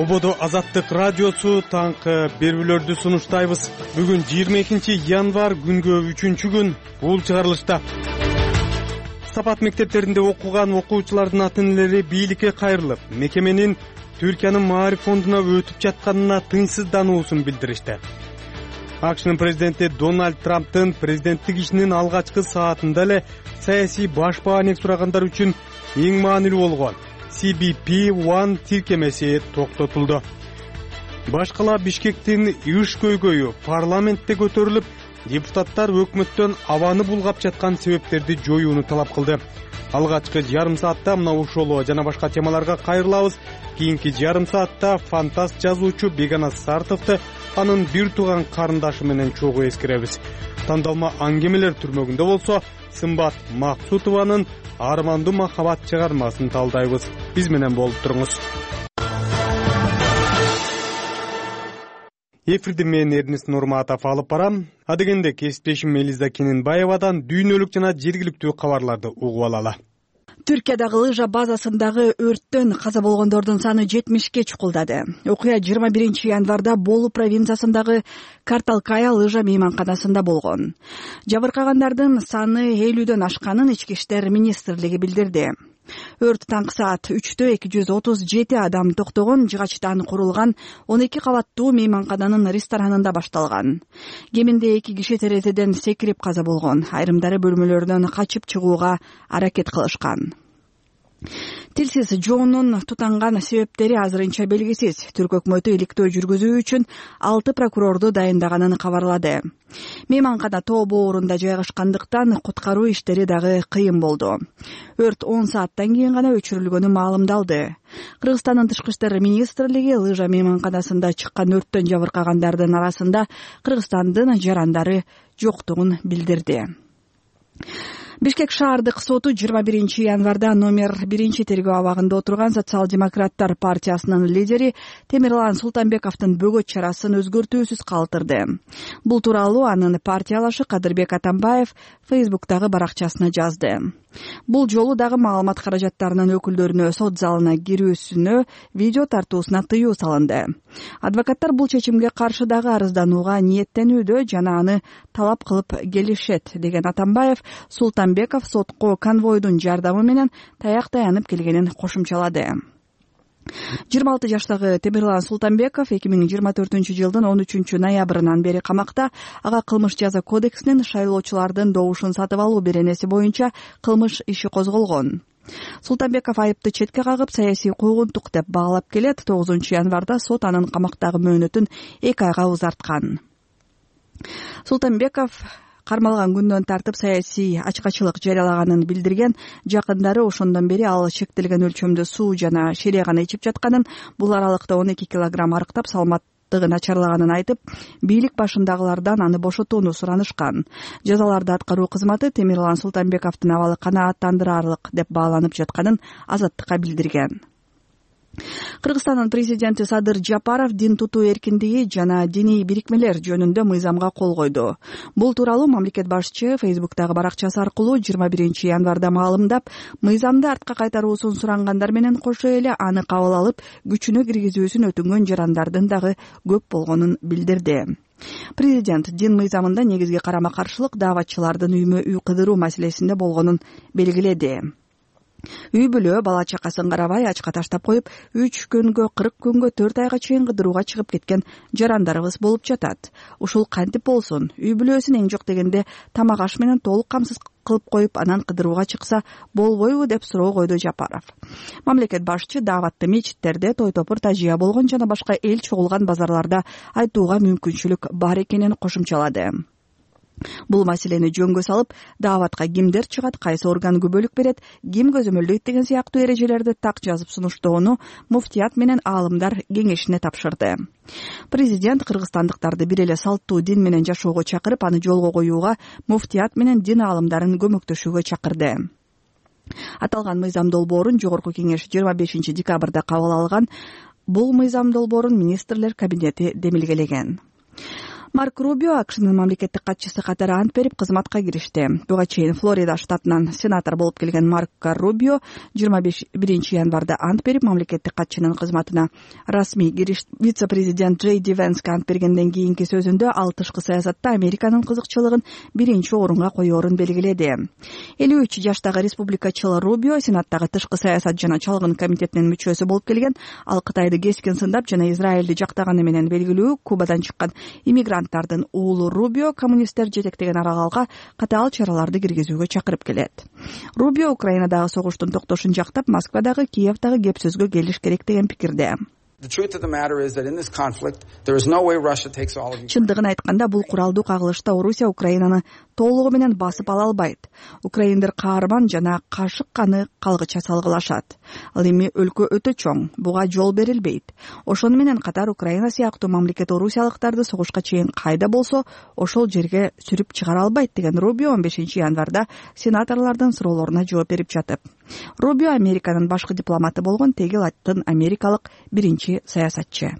Ободо Азаттык радиосу таңкы берүүлөрдү сунуштайбыз. Бүгүн 22 январь күнгө 3-күн бул чыгарылышта. Сапат мектептеринде окуган окуучулардын ата-энелери бийликке кайрылып, мекеменин Түркиянын Маариф фондуна өтүп жатканына тынчсыздануусун билдиришти. АКШнын президенти Дональд Трамптын президенттик ишинин алгачкы саатында эле саясий баш бааник сурагандар үчүн эң маанилүү болгон CBP-1 тиркемеси токтотулду. Башкала Бишкектин ыш көйгөйү парламентте көтөрүлүп, депутаттар өкмөттөн абаны булгап жаткан себептерди жоюуну талап кылды. Алгачкы жарым саатта мына ушул жана башка темаларга кайрылабыз. Кийинки жарым саатта фантаст жазуучу Бегана Сартовду анын бир тууган карындашы менен чогуу эскеребиз. Тандалма аңгемелер түрмөгүндө болсо, Сымбат Максутованын Армандуу махабат чыгармасын талдайбыз. Биз менен болуп туруңуз. Эфирди мен Эрнест Нурматов алып барам. Адегенде кесиптешим Элиза Кененбаевадан дүйнөлүк жана жергиликтүү кабарларды угуп алалы. Түркиядагы лыжа базасындагы өрттөн каза болгондордун саны 70ке чукулдады. Окуя 21 январда Болу провинциясындагы Карталкая лыжа мейманканасында болгон. Жабыркагандардын саны 50дөн ашканын Ички иштер министрлиги билдирди. Өрт таңкы саат 3-тө 237 адам токтогон жыгачтан курулган 12 кабаттуу мейманкананын ресторанында башталган. Кеминде 2 киши терезеден секирип каза болгон. Айрымдары бөлмөлөрдөн качып чыгууга аракет кылышкан. Тилсиз жоонун тутанган себептери азырынча белгисиз. Түрк өкмөтү иликтөө жүргүзүү үчүн 6 прокурорду дайындаганын кабарлады. Мейманкана тоо боорунда жайгашкандыктан куткаруу иштери дагы кыйын болду. Өрт 10 сааттан кийин гана өчүрүлгөнү маалымдалды. Кыргызстандын тышкы иштер министрлиги лыжа мейманканасында чыккан өрттөн жабыркагандардын арасында Кыргызстандын жарандары жоктугун билдирди. Бишкек шаардык соту 21 январда номер 1 тергөө абагында отурган Социал-демократтар партиясынын лидери Темирлан Султанбековдун бөгөт чарасын өзгөртүүсүз калтырды. Бул тууралуу анын партиялашы Кадырбек Атамбаев Facebook'тагы баракчасына жазды. Бул жолу дагы маалымат каражаттарынын өкүлдөрүнө сот залына кирүүсүнө видео тартуусуна тыюу салынды. Адвокаттар бул чечимге каршы дагы арызданууга ниеттенүүдө жана аны талап кылып келишет деген Атамбаев Султанбеков сотко конвойдун жардамы менен таяк таянып келгенин кошумчалады. 26 жаштагы Темирлан Султанбеков 2024 жылдын 13 ноябрынан бери камакта. Ага кылмыш жаза кодексинин шайлоочулардын добушун сатып алуу беренеси боюнча кылмыш иши козголгон. Султанбеков айыпты четке кагып, саясий куугунтук деп баалап келет. 9 январда сот анын камактагы мөөнөтүн 2 айга узарткан. Султанбеков кармалган күндөн тартып саясий ачкачылык жарыялаганын билдирген. Жакындары ошондон бери ал чектелген өлчөмдө суу жана шире гана ичип жатканын, бул аралыкта 12 килограмм арыктап саламаттыгы начарлаганын айтып, бийлик башындагылардан аны бошотууну суранышкан. Жазаларды аткаруу кызматы Темирлан Султанбековдун абалы канааттандыраарлык деп бааланып жатканын Азаттыкка билдирген. Кыргызстандын президенти Садыр Жапаров дин тутуу эркиндиги жана диний бирикмелер жөнүндө мыйзамга кол койду. Бул тууралуу мамлекет башчы Facebook'тагы баракчасы аркылуу 21 январда маалымдап, мыйзамды артка кайтаруусун сурангандар менен кошо эле аны кабыл алып, күчүнө киргизүүсүн өтүнгөн жарандардын дагы көп болгонун билдирди. Президент дин мыйзамында негизги карама-каршылык дааватчылардын үймө-үй кыдыруу маселесинде болгонун белгиледи. Үй бүлө бала чакасын карабай ачка таштап коюп, 3 күнгө 40 күнгө 4 айга чейин кыдырууга чыгып кеткен жарандарыбыз болуп жатат. Ушул кантип болсун? Үй бүлөсүн эң жок дегенде тамак аш менен толук камсыз кылып коюп, анан кыдырууга чыкса болбойбу деп суроо койду Жапаров. Мамлекет башчы дааватты мечиттерде, той топур тажыя болгон жана башка эл чогулган базарларда айтууга мүмкүнчүлүк бар экенин кошумчалады. Бул маселени жөнгө салып, дааватка кимдер чыгат, кайсы орган күбөлүк берет, ким көзөмөлдөйт деген сыяктуу эрежелерди так жазып сунуштоону муфтият менен аалымдар кеңешине тапшырды. Президент кыргызстандыктарды бир эле салттуу дин менен жашоого чакырып, аны жолго коюуга муфтият менен дин аалымдарын көмөктөшүүгө чакырды. Аталган мыйзам долбоорун Жогорку кеңеш 25 декабрда кабыл алган. Бул мыйзам долбоорун министрлер кабинети демилгелеген. Марк Рубио АКШнын мамлекеттик катчысы катары ант берип кызматка киришти. Буга чейин Флорида штатынан сенатор болуп келген Марк Рубио 21 январда ант берип мамлекеттик катчынын кызматына расмий киришти. Вице-президент Джей Ди Венске ант бергенден кийинки сөзүндө ал тышкы саясатта Американын кызыкчылыгын биринчи орунга коерун белгиледи. 53 жаштагы республикачыл Рубио сенаттагы тышкы саясат жана чалгын комитетинин мүчөсү болуп келген. Ал Кытайды кескин сындап жана Израилди жактаганы менен белгилүү Кубадан чыккан иммигранттардын уулу Рубио коммунисттер жетектеген аралгалга катаал чараларды киргизүүгө чакырып келет. Рубио Украинадагы согуштун токтошун жактап, Москвадагы, Киевдагы кеп сөзгө келиш керек деген пикирде. Чындыгын айтканда, бул куралдуу кагылышта Орусия Украинаны толугу менен басып ала албайт. Украиндер каарман жана кашык каны калгыча салгылашат. Ал эми өлкө өтө чоң, буга жол берилбейт. Ошону менен катар Украина сыяктуу мамлекет орусиялыктарды согушка чейин кайда болсо ошол жерге сүрүп чыгара албайт деген Рубио 15 январда сенаторлордун суроолоруна жооп берип жатып. Рубио Американын башкы дипломаты болгон тегил аттын америкалык биринчи саясатчы.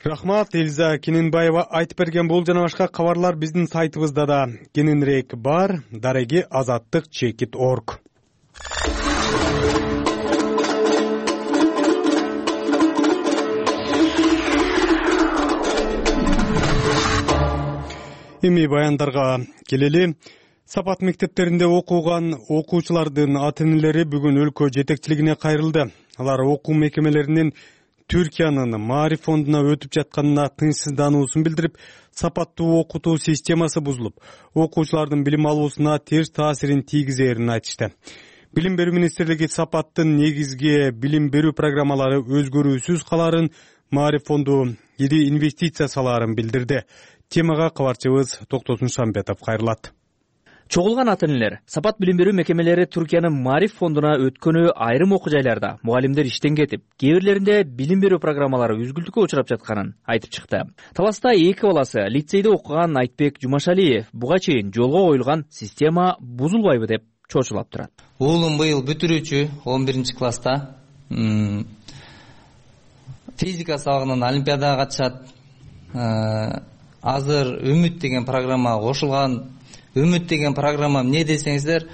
Рахмат, Элиза Кененбаева айтып берген бул жана башка кабарлар биздин сайтыбызда да кененирээк бар. Дареги azatlyk.org. Эми баяндарга келели. Сапат мектептеринде окуган окуучулардын ата-энелери бүгүн өлкө жетекчилигине кайрылды. Алар окуу мекемелеринин Түркиянын Маариф фондуна өтүп жатканына тынчсыздануусун билдирип, сапаттуу окутуу системасы бузулуп, окуучулардын билим алуусуна терс таасирин тийгизерин айтышты. Билим берүү министрлиги сапаттын негизги билим берүү программалары өзгөрүүсүз калаарын, Маариф фонду ири инвестиция салаарын билдирди. Темага кабарчыбыз Токтосун Шамбетов кайрылат. Чогулган ата-энелер сапат билим берүү мекемелери Түркиянын Маариф фондуна өткөнү айрым окуу жайларда мугалимдер иштен кетип, кээ бирлеринде билим берүү программалары үзгүлтүккө учурап жатканын айтып чыкты. Таласта эки баласы лицейде окуган Айтбек Жумашалиев буга чейин жолго коюлган система бузулбайбы деп чочулап турат. Уулум быйыл бүтүрүүчү 11 класста физика сабагынан олимпиадага катышат. Азыр Үмүт деген программага кошулган. Үмүт деген программа эмне десеңиздер,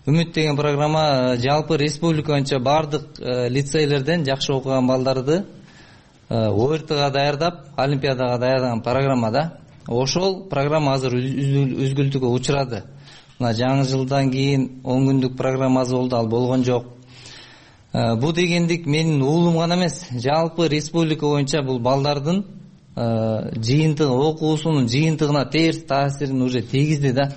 Үмүт деген программа жалпы республика боюнча бардык лицейлерден жакшы окуган балдарды ОРТга даярдап, олимпиадага даярдаган программа да. Ошол программа азыр үзгүлтүккө учурады. Мына жаңы жылдан кийин 10 күндүк программасы болду, ал болгон жок. Бу дегендик менин уулум гана эмес, жалпы республика боюнча бул балдардын жыйынтыгы, окуусунун жыйынтыгына терс таасирин уже тийгизди да.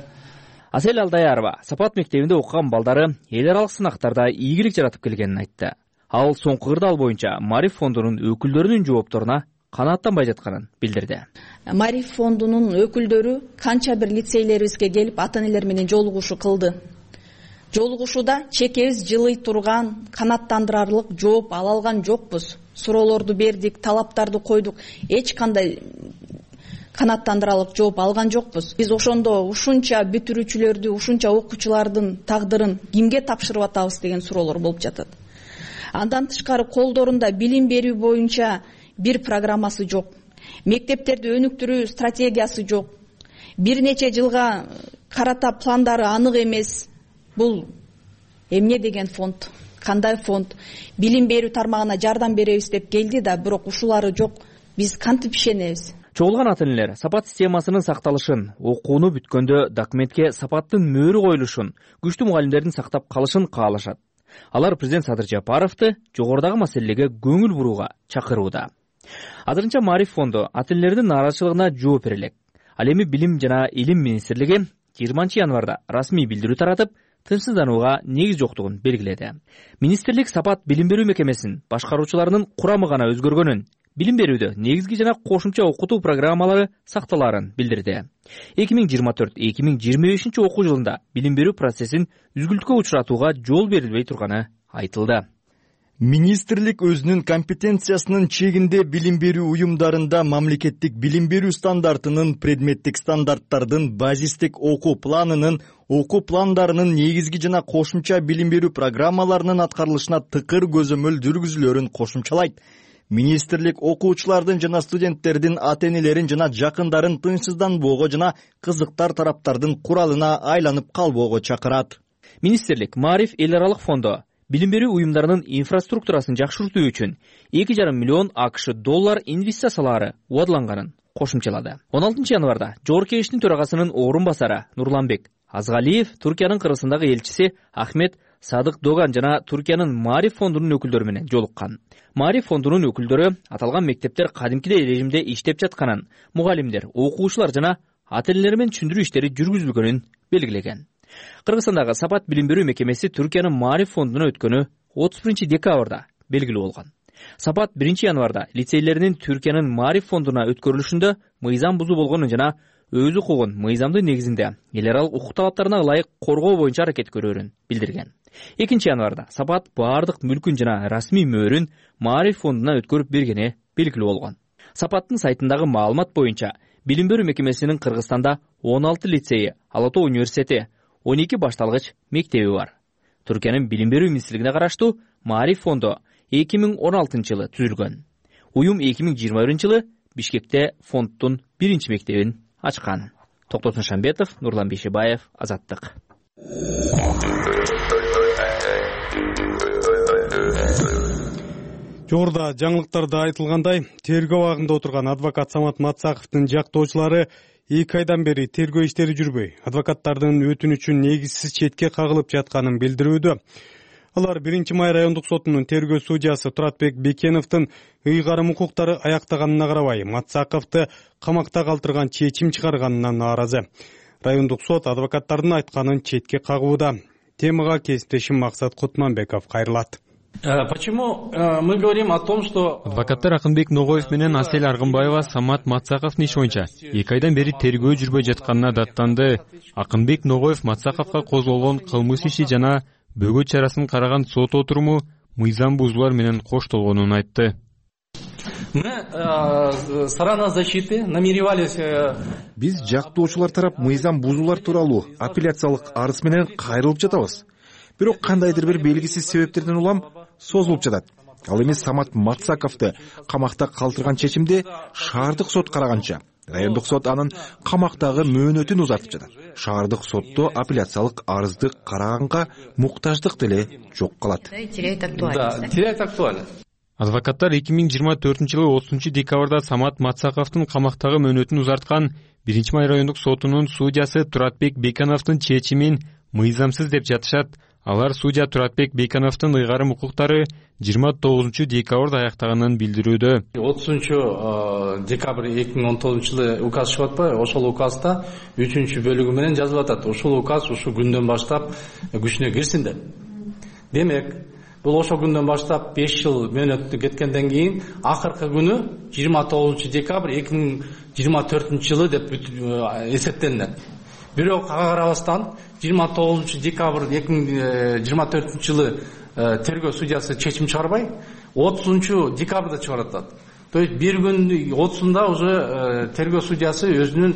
Асел Алдаярова сапат мектебинде окуган балдары эл аралык сынактарда ийгилик жаратып келгенин айтты. Ал соңку кырдаал боюнча Маариф фондунун өкүлдөрүнүн жоопторуна канааттанбай жатканын билдирди. Маариф фондунун өкүлдөрү канча бир лицейлерибизге келип ата-энелер менен жолугушуу кылды. Жолугушууда чекебиз жылый турган, канааттандырарлык жооп ала алган жокпуз. Суроолорду бердик, талаптарды койдук. Эч кандай канааттандырарлык жооп алган жокпуз. Биз ошондо ушунча бүтүрүүчүлөрдү, ушунча окуучулардын тагдырын кимге тапшырып атабыз деген суроолор болуп жатат. Андан тышкары колдорунда билим берүү боюнча бир программасы жок. Мектептерди өнүктүрүү стратегиясы жок. Бир нече жылга карата пландары анык эмес. Бул эмне деген фонд? Кандай фонд? Билим берүү тармагына жардам беребиз деп келди да, бирок ушулары жок. Биз кантип ишенебиз? Чогулган ата-энелер сапат системасынын сакталышын, окууну бүткөндө документке сапаттын мөөрү коюлушун, күчтүү мугалимдердин сактап калышын каалашат. Алар президент Садыр Жапаровду жогорудагы маселеге көңүл бурууга чакырууда. Азырынча Маариф фонду ата-энелердин нааразычылыгына жооп бере элек. Ал эми Билим жана Илим министрлиги 20 январда расмий билдирүү таратып, тынчсызданууга негиз жоктугун белгиледи. Министрлик сапат билим берүү мекемесинин башкаруучуларынын курамы гана өзгөргөнүн, билим берүүдө негизги жана кошумча окутуу программалары сакталаарын билдирди. 2024-2025 окуу жылында билим берүү процессин үзгүлтүккө учуратууга жол берилбей турганы айтылды. Министрлик өзүнүн компетенциясынын чегинде билим берүү уюмдарында мамлекеттик билим берүү стандартынын, предметтик стандарттардын, базистик окуу планынын, окуу пландарынын негизги жана кошумча билим берүү программаларынын аткарылышына тыкыр көзөмөл жүргүзүлөрүн кошумчалайт. Министрлик окуучулардын жана студенттердин ата-энелерин жана жакындарын тынчсызданбоого жана кызыктар тараптардын куралына айланып калбоого чакырат. Министрлик Маариф эл аралык фонду билим берүү уюмдарынын инфраструктурасын жакшыртуу үчүн 2,5 миллион АКШ доллар инвестициялаары убадыланганын кошумчалады. 16 январда Жогорку Кеңештин төрагасынын орун басары Нурланбек Азгалиев Туркиянын кыргызстандагы элчиси Ахмет Садык Доган жана Туркиянын Маариф фондунун өкүлдөрү менен жолуккан. Маариф фондунун өкүлдөрү аталган мектептер кадимкидей режимде иштеп жатканын, мугалимдер, окуучулар жана ата-энелер менен түшүндүрүү иштери жүргүзүлгөнүн белгилеген. Кыргызстандагы Сапат билим берүү мекемеси Түркиянын Маариф фондуна өткөнү 31 декабрда белгилүү болгон. Сапат 1 январда лицейлеринин Түркиянын Маариф фондуна өткөрүлүшүндө мыйзам бузуу болгонун жана өз укугун мыйзамдын негизинде эл аралык укук талаптарына ылайык коргоо боюнча аракет көрөрүн билдирген. 2 январда Сапат баардык мүлкүн жана расмий мөөрүн Маариф фондуна өткөрүп бергени белгилүү болгон. Сапаттын сайтындагы маалымат боюнча билим берүү мекемесинин Кыргызстанда 16 лицейи, Ала Тоо университети, 12 башталгыч мектеби бар. Түркиянын билим берүү министрлигине караштуу Маариф фонду 2016 жылы түзүлгөн. Уюм 2021 жылы Бишкекте фонддун 1 мектебин ачкан. Токтосун Шамбетов, Нурлан Бейшебаев, Азаттык. Жогоруда жаңылыктарда айтылгандай, тергөө абагында отурган адвокат Самат Матсаковдун жактоочулары 2 айдан бери тергөө иштери жүрбөй, адвокаттардын өтүнүчүн негизсиз четке кагылып жатканын билдирүүдө. Алар 1 май райондук сотунун тергөө судьясы Туратбек Бекеновдун ыйгарым укуктары аяктаганына карабай, Матсаковду камакта калтырган чечим чыгарганына нааразы. Райондук сот адвокаттардын айтканын четке кагууда. Темага кесиптешим Максат Кутманбеков кайрылат. Почему мы говорим о том, что адвокаттар Акынбек Ногоев менен Асель Аргынбаева Самат Матсаковдун иши боюнча 2 айдан бери тергөө жүрбөй жатканына даттанды. Акынбек Ногоев Матсаковго козголгон кылмыш иши жана бөгөт чарасын караган сот отуруму мыйзам бузуулар менен коштолгонун айтты. Мы сторона защиты намеревались биз жактоочулар тарап мыйзам бузуулар тууралуу апелляциялык арыз менен кайрылып жатабыз. Бирок кандайдыр бир белгисиз себептерден улам созулуп жатат. Ал эми Самат Матсаковду камакта калтырган чечимди шаардык сот караганча, райондук сот анын камактагы мөөнөтүн узартып жатат. Шаардык сотто апелляциялык арызды караганга муктаждык деле жок калат. Да, теряет актуальность. Адвокаттар 2024 жылы 30 декабрда Самат Матсаковдун камактагы мөөнөтүн узарткан 1 май райондук сотунун судьясы Туратбек Бекеновдун чечимин мыйзамсыз деп жатышат. Алар судья Туратбек Бекеновдун ыйгарым укуктары 29 декабрда аяктаганын билдирүүдө. 30 декабрь 2019 жылы указ чыгып атпайбы? Ошол указда 3-бөлүгү менен жазылып атат. Ушул указ ушу күндөн баштап күчүнө кирсин деп. Демек, бул ошол күндөн баштап 5 жыл мөөнөттү кеткенден кийин акыркы күнү 29 декабрь 2024 жылы деп эсептелинет. Бирок ага карабастан 29 декабрь 2024 жылы тергөө судьясы чечим чыгарбай, 30 декабрда чыгарат. То есть бир күн 30-да уже тергөө судьясы өзүнүн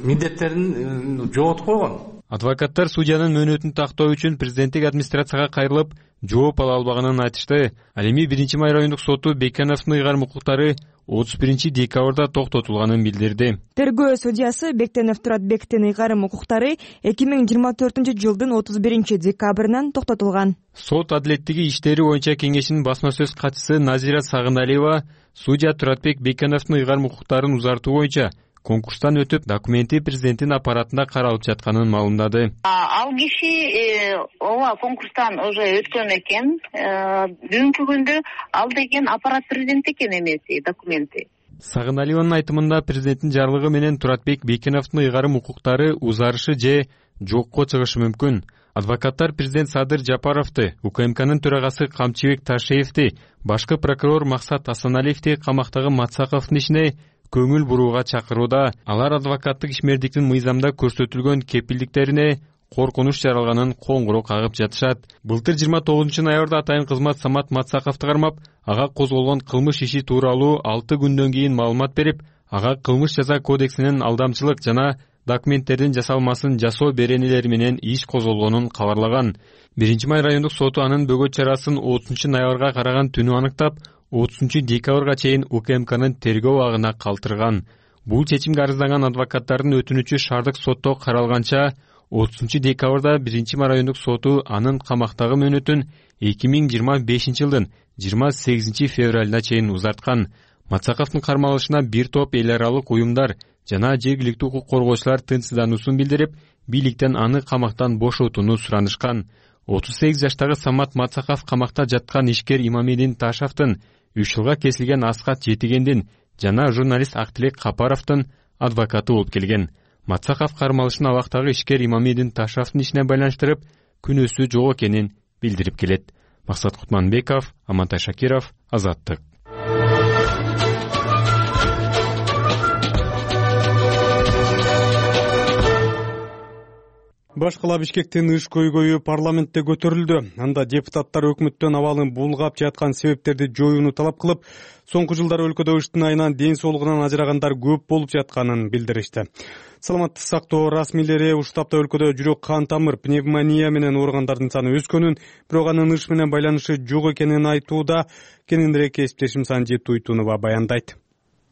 милдеттерин жоготуп койгон. Адвокаттар судьянын мөөнөтүн тактоо үчүн президенттик администрацияга кайрылып, жооп ала албаганын айтышты. Ал эми 1 май райондук соту Бекеновдун ыйгарым укуктары 31 декабрда токтотулганын билдирди. Тергөө судьясы Бектенов Туратбектин ыйгарым укуктары 2024 жылдын 31 декабрынан токтотулган. Сот адилеттиги иштери боюнча кеңешинин басма сөз катчысы Назира Сагыналиева судья Туратбек Бекеновдун ыйгарым укуктарын узартуу боюнча конкурстан өтүп, документи президенттин аппаратында каралып жатканын маалымдады. Ал киши ооба конкурстан уже өткөн экен. Бүгүнкү күндө ал деген аппарат президент экен эмеси документи. Сагыналиеванын айтымында президенттин жарлыгы менен Туратбек Бекеновдун ыйгарым укуктары узарышы же жокко чыгышы мүмкүн. Адвокаттар президент Садыр Жапаровду, УКМКнын төрагасы Камчыбек Ташеевди, башкы прокурор Максат Асаналиевди камактагы Матсаковдун ишине көңүл бурууга чакырууда. Алар адвокаттык ишмердиктин мыйзамда көрсөтүлгөн кепилдиктерине коркунуч жаралганын коңгуроо кагып жатышат. Былтыр 29 ноябрда атайын кызмат Самат Матсаковду кармап, ага козголгон кылмыш иши тууралуу 6 күндөн кийин маалымат берип, ага кылмыш жаза кодексинин алдамчылык жана документтердин жасалмасын жасоо беренелери менен иш козголгонун кабарлаган. 1-Май райондук соту анын бөгөт чарасын 30-ноябрга караган түнү аныктап, 30-декабрга чейин УКМКнын тергөө абагына калтырган. Бул чечимге арызданган адвокаттардын өтүнүчү шаардык сотто каралганча, 30-декабрда 1-Май райондук соту анын камактагы мөөнөтүн 2025-жылдын 28-февралына чейин узарткан. Матсаковдун кармалышына бир топ эл аралык уюмдар жана жергиликтүү укук коргоочулар тынчсыздануусун билдирип, бийликтен аны камактан бошотууну суранышкан. 38 жаштагы Самат Матсаков камакта жаткан ишкер Имамидин Ташевдин, 3 жылга кесилген Аскат Жетигендин жана журналист Актилек Капаровдун адвокаты болуп келген. Матсаков кармалышын абактагы ишкер Имамидин Ташевдин ишине байланыштырып, күнөөсү жок экенин билдирип келет. Максат Кутманбеков, Амантай Шакиров, Азаттык. Башкала Бишкектин ыш көйгөйү парламентте көтөрүлдү. Анда депутаттар өкмөттөн абалын булгап жаткан себептерди жоюуну талап кылып, соңку жылдары өлкөдө ыштын айынан ден соолугунан ажырагандар көп болуп жатканын билдиришти. Саламаттык сактоо расмийлери ушул тапта өлкөдө жүрөк кан тамыр пневмония менен ооругандардын саны өскөнүн, бирок анын ыш менен байланышы жок экенин айтууда. Кененирээк кесиптешим Санжит Туйтунова баяндайт.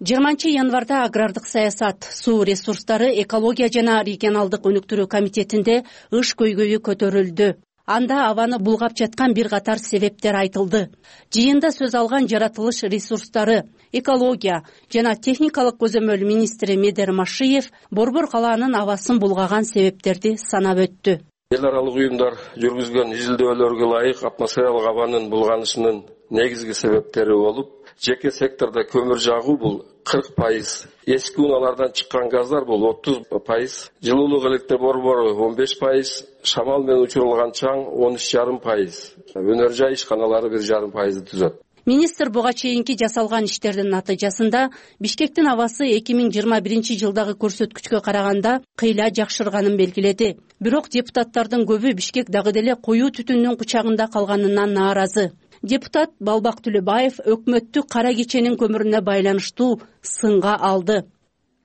20-январда агрардык саясат, суу ресурстары, экология жана регионалдык өнүктүрүү комитетинде ыш көйгөйү көтөрүлдү. Анда абаны булгап жаткан бир катар себептер айтылды. Жыйында сөз алган жаратылыш ресурстары, экология жана техникалык көзөмөл министри Медер Машиев Борбор калаанын абасын булгаган себептерди санап өттү. Эл аралык уюмдар жүргүзгөн изилдөөлөргө ылайык атмосфералык абанын булганышынын негизги себептери болуп, жеке сектордо көмүр жагуу бул 40%, эски унаалардан чыккан газдар бул 30%, жылуулук электр борбору 15%, шамал менен учурулган чаң 13,5%, өнөр жай ишканалары 1,5%ды түзөт. Министр буга чейинки жасалган иштердин натыйжасында Бишкектин абасы 2021-жылдагы көрсөткүчкө караганда кыйла жакшырганын белгиледи. Бирок депутаттардын көбү Бишкек дагы деле коюу түтүндүн кучагында калганынан нааразы. Депутат Балбак Түлөбаев өкмөттү кара кеченин көмүрүнө байланыштуу сынга алды.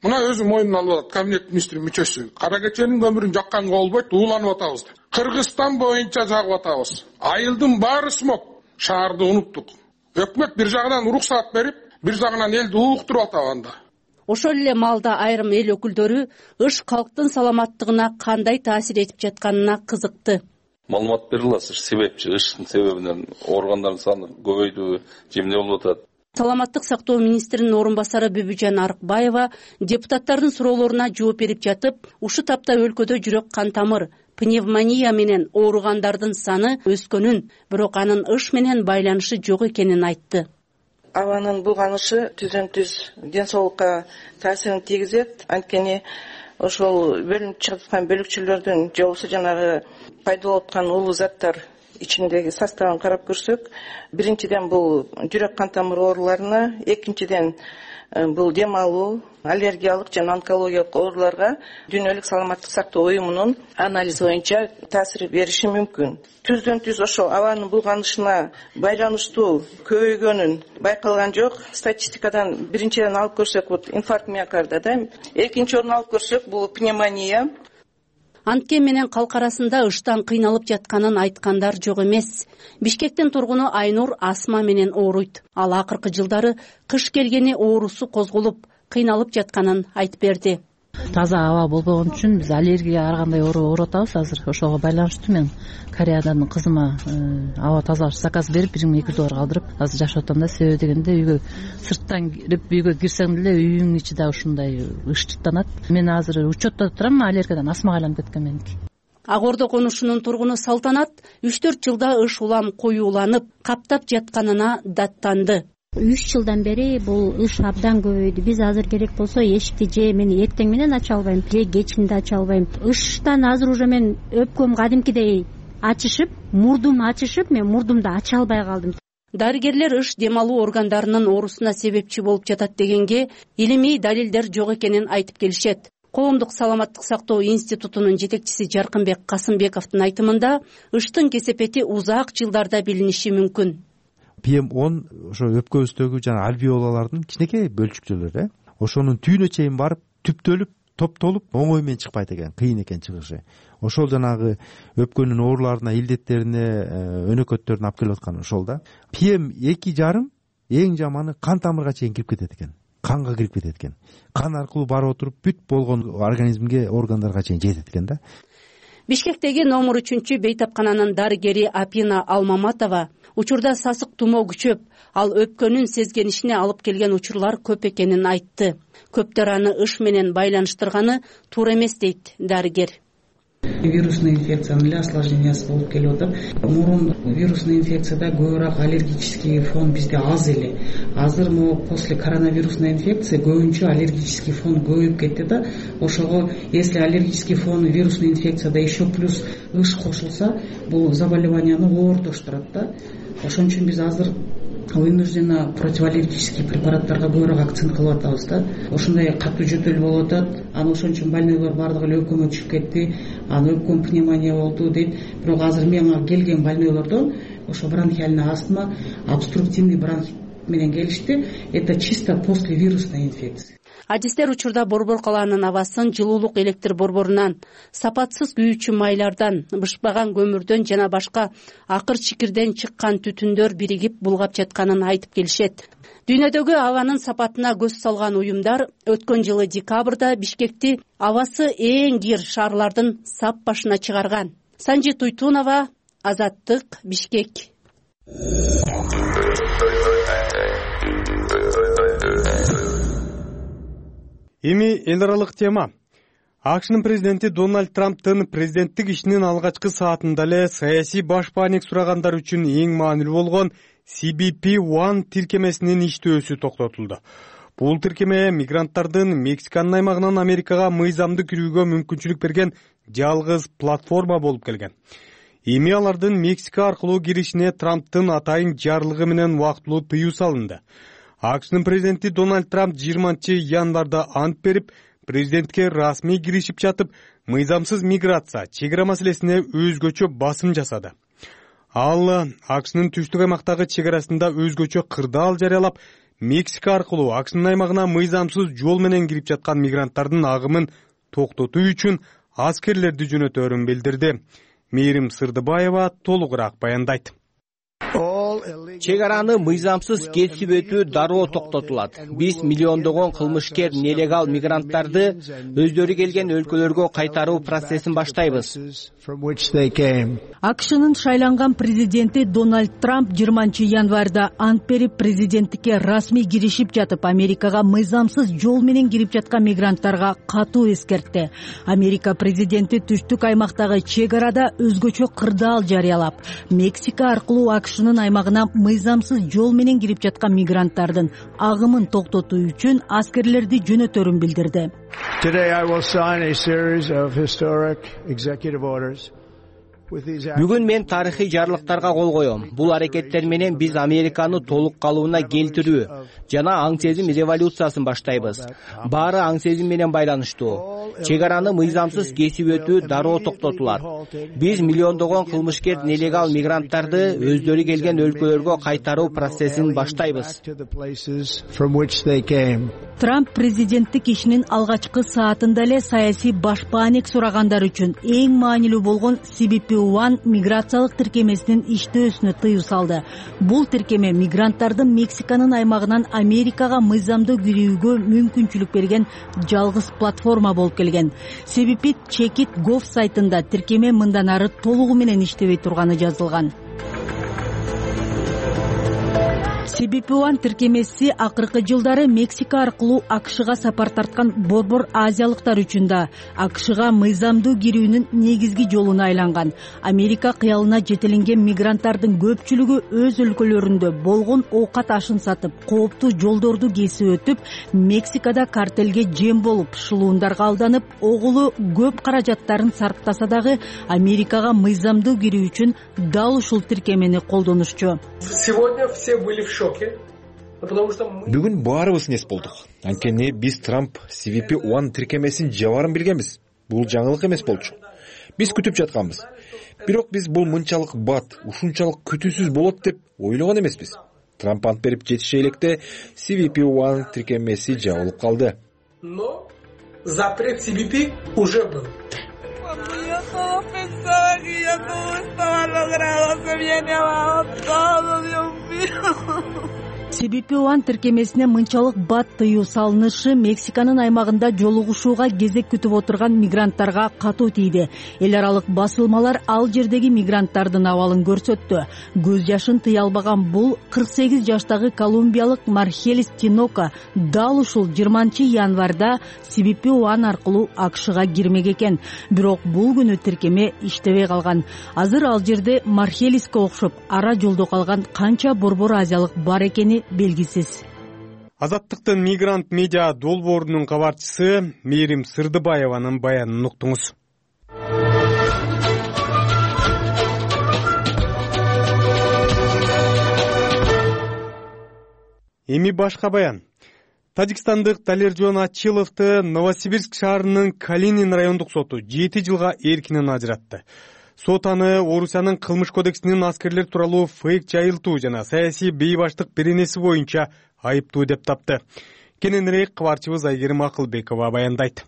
Мына өзү мойнуна алып атат кабинет министри мүчөсү. Кара кеченин көмүрүн жакканга болбойт, ууланып атабыз. Кыргызстан боюнча жагып атабыз. Айылдын баары смог. Шаарды унуттук. Өкмөт бир жагынан уруксаат берип, бир жагынан элди ууктуруп атат анда. Ошол эле маалда айрым эл өкүлдөрү ыш калктын саламаттыгына кандай таасир этип жатканына кызыкты. Маалымат бере аласыз, себепчи ыштын себебинен ооругандардын саны көбөйдүбү, же эмне болуп атат? Саламаттык сактоо министринин орун басары Бүбүжан Арыкбаева депутаттардын суроолоруна жооп берип жатып, ушул тапта өлкөдө жүрөк кан тамыр, пневмония менен ооругандардын саны өскөнүн, бирок анын ыш менен байланышы жок экенин айтты. Абанын булганышы түздөн-түз ден соолукка таасирин тийгизет. Анткени ошол бөлүнүп чыгып аткан бөлүкчөлөрдүн же болбосо жанагы пайда болуп аткан улуу заттар ичиндеги составын карап көрсөк, биринчиден бул жүрөк кан тамыр ооруларына, экинчиден бул дем алуу, аллергиялык жана онкологиялык ооруларга Дүйнөлүк саламаттык сактоо уюмунун анализи боюнча таасир бериши мүмкүн. Түздөн-түз ошол абанын булганышына байланыштуу көбөйгөнүн байкалган жок. Статистикадан биринчиден алып көрсөк, бул инфаркт миокарда да, экинчи орун алып көрсөк, бул пневмония. Анткен менен калк арасында ыштан кыйналып жатканын айткандар жок эмес. Бишкектин тургуну Айнур астма менен ооруйт. Ал акыркы жылдары кыш келгени оорусу козголуп, кыйналып жатканын айтып берди. Таза аба болбогон үчүн биз аллергия ар кандай ооруп атабыз азыр. Ошого байланыштуу мен Кореядан кызыма аба тазалаш заказ берип $1,200 калдырып азыр жашап атам да. Себеби дегенде үйгө сырттан кирип үйгө кирсең деле үйүңдүн ичи да ушундай ычтыктанат. Мен азыр учетто турам, аллергиядан астмага айланып кеткен меники. Ак Ордо конушунун тургуну Салтанат 3-4 жылда ыш улам коюуланып, каптап жатканына даттанды. 3 жылдан бери бул ыш абдан көбөйдү. Биз азыр керек болсо эшикти же мен эртең менен ача албайм, же кечинде ача албайм. Ыштан азыр уже мен өпкөм кадимкидей ачышып, мурдум ачышып, мен мурдумду ача албай калдым. Дарыгерлер ыш дем алуу органдарынын оорусуна себепчи болуп жатат дегенге илимий далилдер жок экенин айтып келишет. Коомдук саламаттык сактоо институтунун жетекчиси Жаркынбек Касымбековдун айтымында ыштын кесепети узак жылдарда билиниши мүмкүн. PM10 ошо өпкөбүздөгү жана альвеолалардын кичинекей бөлчүктөрү, ошонун түйүнө чейин барып түптөлүп топтолуп оңой менен чыкпайт экен, кыйын экен чыгышы. Ошол жанагы өпкөнүн ооруларына, илдеттерине, өнөкөттөрүнө алып келип аткан ошол да. PM2,5 эң жаманы кан тамырга чейин кирип кетет экен. Канга кирип кетет экен. Кан аркылуу барып отуруп бүт болгон организмге, органдарга чейин жетет экен да. Бишкектеги номер 3 бейтапкананын дарыгери Апина Алмаматова учурда сасык тумоо күчөп, ал өпкөнүн сезгенишине алып келген учурлар көп экенин айтты. Көптөр аны ыш менен байланыштырганы туура эмес дейт дарыгер. Вирусный инфекциянын эле осложнениясы болуп келип атат. Мурун вирусный инфекцияда көбүрөөк аллергический фон бизде аз эле. Азыр после коронавирусной инфекции көбүнчө аллергический фон көбөйүп кетти да. Ошого если аллергический фон вирусный инфекцияда еще плюс ыш кошулса, бул заболеванияны оортоштурат да. Ошон үчүн биз азыр вынужденно противоаллергический препараттарга көбүрөөк акцент кылып атабыз да. Ошондой катуу жөтөл болуп атат. Анан ошон үчүн больнойлор бардыгы эле өпкөмө түшүп кетти. Анан өпкөм пневмония болду дейт. Бирок азыр мага келген больнойлордон ошо бронхиальный астма, обструктивный бронхит менен келишти. Это чисто после вирусной инфекции. Адистер учурда Борбор калаанын абасын жылуулук электр борборунан, сапатсыз күйүүчү майлардан, бышпаган көмүрдөн жана башка акыр чикирден чыккан түтүндөр биригип булгап жатканын айтып келишет. Дүйнөдөгү абанын сапатына көз салган уюмдар өткөн жылы декабрда Бишкекти абасы эң кир шаарлардын сап башына чыгарган. Санжи Туйтунова, Азаттык, Бишкек. Эми эл аралык тема. АКШнын президенти Дональд Трамптын президенттик ишинин алгачкы саатында эле саясий баш бааник сурагандар үчүн эң маанилүү болгон CBP-1 тиркемесинин иштөөсү токтотулду. Бул тиркеме мигранттардын Мексиканын аймагынан Америкага мыйзамдуу кирүүгө мүмкүнчүлүк берген жалгыз платформа болуп келген. Эми алардын Мексика аркылуу киришине Трамптын атайын жарлыгы менен убактылуу тыюу салынды. АКШнын президенти Дональд Трамп 20-январда ант берип, президентке расмий киришип жатып, мыйзамсыз миграция, чегара маселесине өзгөчө басым жасады. Ал АКШнын түштүк аймактагы чегарасында өзгөчө кырдаал жарыялап, Мексика аркылуу АКШнын аймагына мыйзамсыз жол менен кирип жаткан мигранттардын агымын токтотуу үчүн аскерлерди жөнөтөөрүн билдирди. Мээрим Сырдыбаева толугураак баяндайт. Чегараны мыйзамсыз кесип өтүү дароо токтотулат. Биз миллиондогон кылмышкер нелегал мигранттарды өздөрү келген өлкөлөргө кайтаруу процессин баштайбыз. АКШнын шайланган президенти Дональд Трамп 20-январда ант берип, президенттикке расмий киришип жатып, Америкага мыйзамсыз жол менен кирип жаткан мигранттарга катуу эскертти. Америка президенти түштүк аймактагы чегарада өзгөчө кырдаал жарыялап, Мексика аркылуу АКШнын аймагына мыйзамсыз жол менен кирип жаткан мигранттардын агымын токтотуу үчүн аскерлерди жөнөтөөрүн билдирди. Бүгүн мен тарыхый жарлыктарга кол коем. Бул аракеттер менен биз Американы толук калыбына келтирүү жана аң сезим революциясын баштайбыз. Баары аң сезим менен байланыштуу. Чегараны мыйзамсыз кесип өтүү дароо токтотулат. Биз миллиондогон кылмышкер нелегал мигранттарды өздөрү келген өлкөлөргө кайтаруу процессин баштайбыз. Трамп президенттик ишинин алгачкы саатында эле саясий баш бааник сурагандар үчүн эң маанилүү болгон CBP-1 миграциялык тиркемесинин иштөөсүнө тыюу салды. Бул тиркеме мигранттардын Мексиканын аймагынан Америкага мыйзамдуу кирүүгө мүмкүнчүлүк берген жалгыз платформа болуп келген. CBP-Check.gov сайтында тиркеме мындан ары толугу менен иштебей турганы жазылган. CBP-1 тиркемеси акыркы жылдары Мексика аркылуу АКШга сапар тарткан борбор азиялыктар үчүн да АКШга мыйзамдуу кирүүнүн негизги жолуна айланган. Америка кыялына жетелинген мигранттардын көпчүлүгү өз өлкөлөрүндө болгон оокат ашын сатып, кооптуу жолдорду кесип өтүп, Мексикада картелге жем болуп, шылуундарга алданып, огулу көп каражаттарын сарптаса дагы Америкага мыйзамдуу кирүү үчүн дал ушул тиркемени колдонушчу. Сегодня все были в шоке. Бүгүн баарыбыз нес болдук. Анткени биз Трамп CBP-1 тиркемесин жабарын билгенбиз. Бул жаңылык эмес болчу. Биз күтүп жатканбыз. Бирок биз бул мынчалык бат, ушунчалык күтүүсүз болот деп ойлогон эмеспиз. Трамп ант берип жетише электе CBP-1 тиркемеси жабылып калды. запрет CBP уже был. CBP тиркемесине мынчалык бат тыюу салынышы Мексиканын аймагында жолугушууга кезек күтүп отурган мигранттарга катуу тийди. Эл аралык басылмалар ал жердеги мигранттардын абалын көрсөттү. Көз жашын тыя албаган бул 48 жаштагы колумбиялык Мархелис Тинока дал ушул 20 январда CBP аркылуу АКШга кирмек экен. Бирок бул күнү тиркеме иштебей калган. Азыр ал жерде Мархелиске окшоп ара жолдо калган канча борбор азиялык бар экени белгисиз. Азаттыктын мигрант медиа долбоорунун кабарчысы Мээрим Сырдыбаеванын баянын уктуңуз. Эми башка баян. Тажикстандык Далержон Ачиловду Новосибирск шаарынын Калинин райондук соту 7 жылга эркинен ажыратты. Сот аны Орусиянын кылмыш кодексинин аскерлер тууралуу фейк жайылтуу жана саясий бейбаштык беренеси боюнча айыптуу деп тапты. Кененирээк кабарчыбыз Айгерим Акылбекова баяндайт.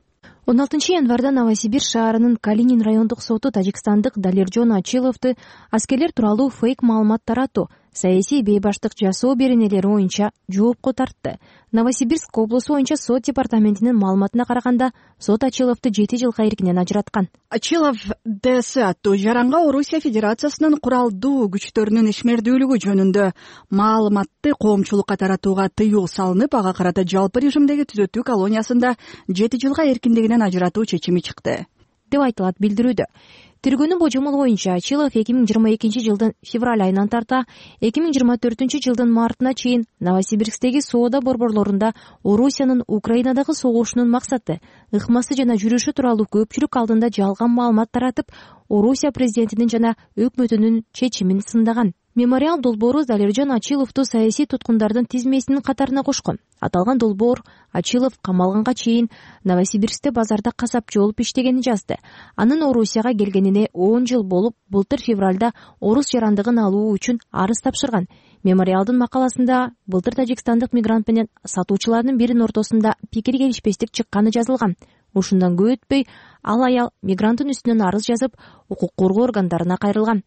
16 январда Новосибирск шаарынын Калинин райондук соту Тажикстандык Далержон Ачиловду аскерлер тууралуу фейк маалымат таратуу, саясий бейбаштык жасоо беренелери боюнча жоопко тартты. Новосибирск облусу боюнча сот департаментинин маалыматына караганда, сот Ачиловду 7 жылга эркинен ажыраткан. Ачилов ДС аттуу жаранга Орусия Федерациясынын куралдуу күчтөрүнүн ишмердүүлүгү жөнүндө маалыматты коомчулукка таратууга тыюу салынып, ага карата жалпы режимдеги түзөтүү колониясында 7 жылга эркиндигинен ажыратуу чечими чыкты деп айтылат билдирүүдө. Тергөөнүн божомолу боюнча Ачилов 2022 жылдын февраль айынан тарта 2024 жылдын мартына чейин Новосибирсктеги соода борборлорунда Орусиянын Украинадагы согушунун максаты, ыкмасы жана жүрүшү тууралуу көпчүлүк алдында жалган маалымат таратып, Орусия президентинин жана өкмөтүнүн чечимин сындаган. Мемориал долбоору Далержон Ачиловду саясий туткундардын тизмесинин катарына кошкон. Аталган долбоор Ачилов камалганга чейин Новосибирскте базарда касапчы болуп иштегенин жазды. Анын Орусияга келгенине 10 жыл болуп, былтыр февралда орус жарандыгын алуу үчүн арыз тапшырган. Мемориалдын макаласында былтыр тажикстандык мигрант менен сатуучулардын биринин ортосунда пикир келишпестик чыкканы жазылган. Ушундан көп өтпөй, ал аял мигранттын үстүнөн арыз жазып, укук коргоо органдарына кайрылган.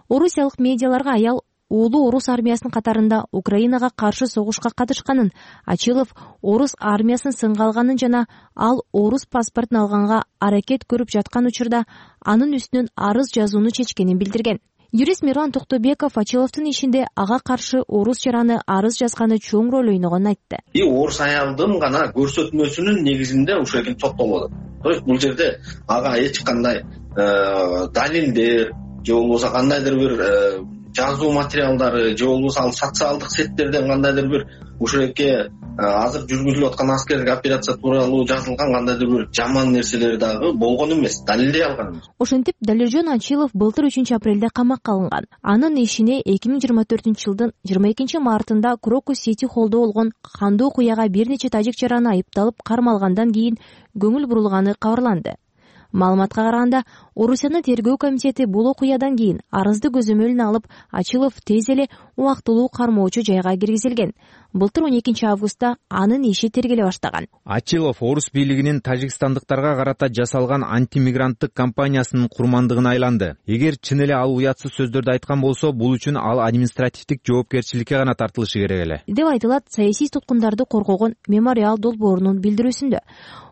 Орусиялык медиаларга аял уулу орус армиясынын катарында Украинага каршы согушка катышканын, Ачилов орус армиясын сынга алганын жана ал орус паспортун алганга аракет көрүп жаткан учурда анын үстүнөн арыз жазууну чечкенин билдирген. Юрист Мирлан Токтобеков Ачиловдун ишинде ага каршы орус жараны арыз жазганы чоң роль ойногонун айтты. Орус аялдын гана көрсөтмөсүнүн негизинде ушул экен соттолот. То есть бул жерде ага эч кандай далилдер же болбосо кандайдыр бир жазуу материалдары же болбосо ал социалдык сеттерден кандайдыр бир ушеке азыр жүргүзүлүп аткан аскердик операция тууралуу жазылган кандайдыр бир жаман нерселер дагы болгон эмес, далилдей алган эмес. Ошентип Далержон Ачилов былтыр 3 апрелде камакка алынган. Анын ишине 2024 жылдын 22 мартында Крокус Сити холлдо болгон кандуу окуяга бир нече тажик жараны айыпталып кармалгандан кийин көңүл бурулганы кабарланды. Маалыматка караганда, Орусиянын тергөө комитети бул окуядан кийин арызды көзөмөлүнө алып, Ачилов тез эле убактылуу кармоочу жайга киргизилген. Былтыр 12 августта анын иши тергеле баштаган. Ачилов орус бийлигинин тажикстандыктарга карата жасалган антимигранттык кампаниясынын курмандыгына айланды. Эгер чын эле ал уятсыз сөздөрдү айткан болсо, бул үчүн ал административдик жоопкерчиликке гана тартылышы керек эле деп айтылат саясий туткундарды коргогон Мемориал долбоорунун билдирүүсүндө.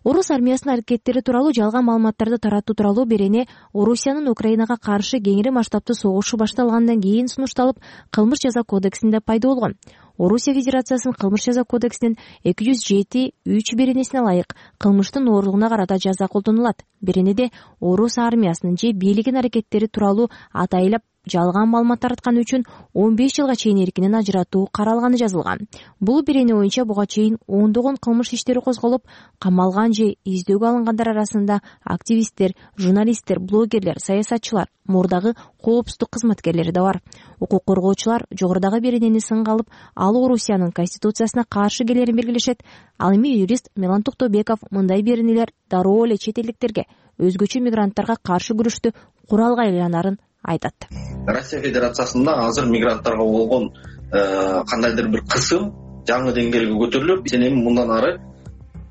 Орус армиясынын аракеттери тууралуу жалган маалыматтарды таратуу тууралуу берене Орусиянын Украинага каршы кеңири масштабтуу согушу башталгандан кийин сунушталып, кылмыш жаза кодексинде пайда болгон. Орусия Федерациясынын кылмыш жаза кодексинин 207.3 беренесине ылайык кылмыштын оорлугуна карата жаза колдонулат. Беренеде орус армиясынын же бийлигинин аракеттери тууралуу атайлап жалган маалымат таратканы үчүн 15 жылга чейин эркинен ажыратуу каралганы жазылган. Бул берене боюнча буга чейин ондогон кылмыш иштери козголуп, камалган же издөөгө алынгандар арасында активисттер, журналисттер, блогерлер, саясатчылар, мурдагы коопсуздук кызматкерлери да бар. Укук коргоочулар жогорудагы беренени сынга алып, ал Орусиянын конституциясына каршы келерин белгилешет. Ал эми юрист Мирлан Токтобеков мындай беренелер дароо эле чет элдиктерге, өзгөчө мигранттарга каршы күрөштү куралга айланарын айтат. Россия Федерациясында азыр мигранттарга болгон кандайдыр бир кысым жаңы деңгээлге көтөрүлүп, сен эми мындан ары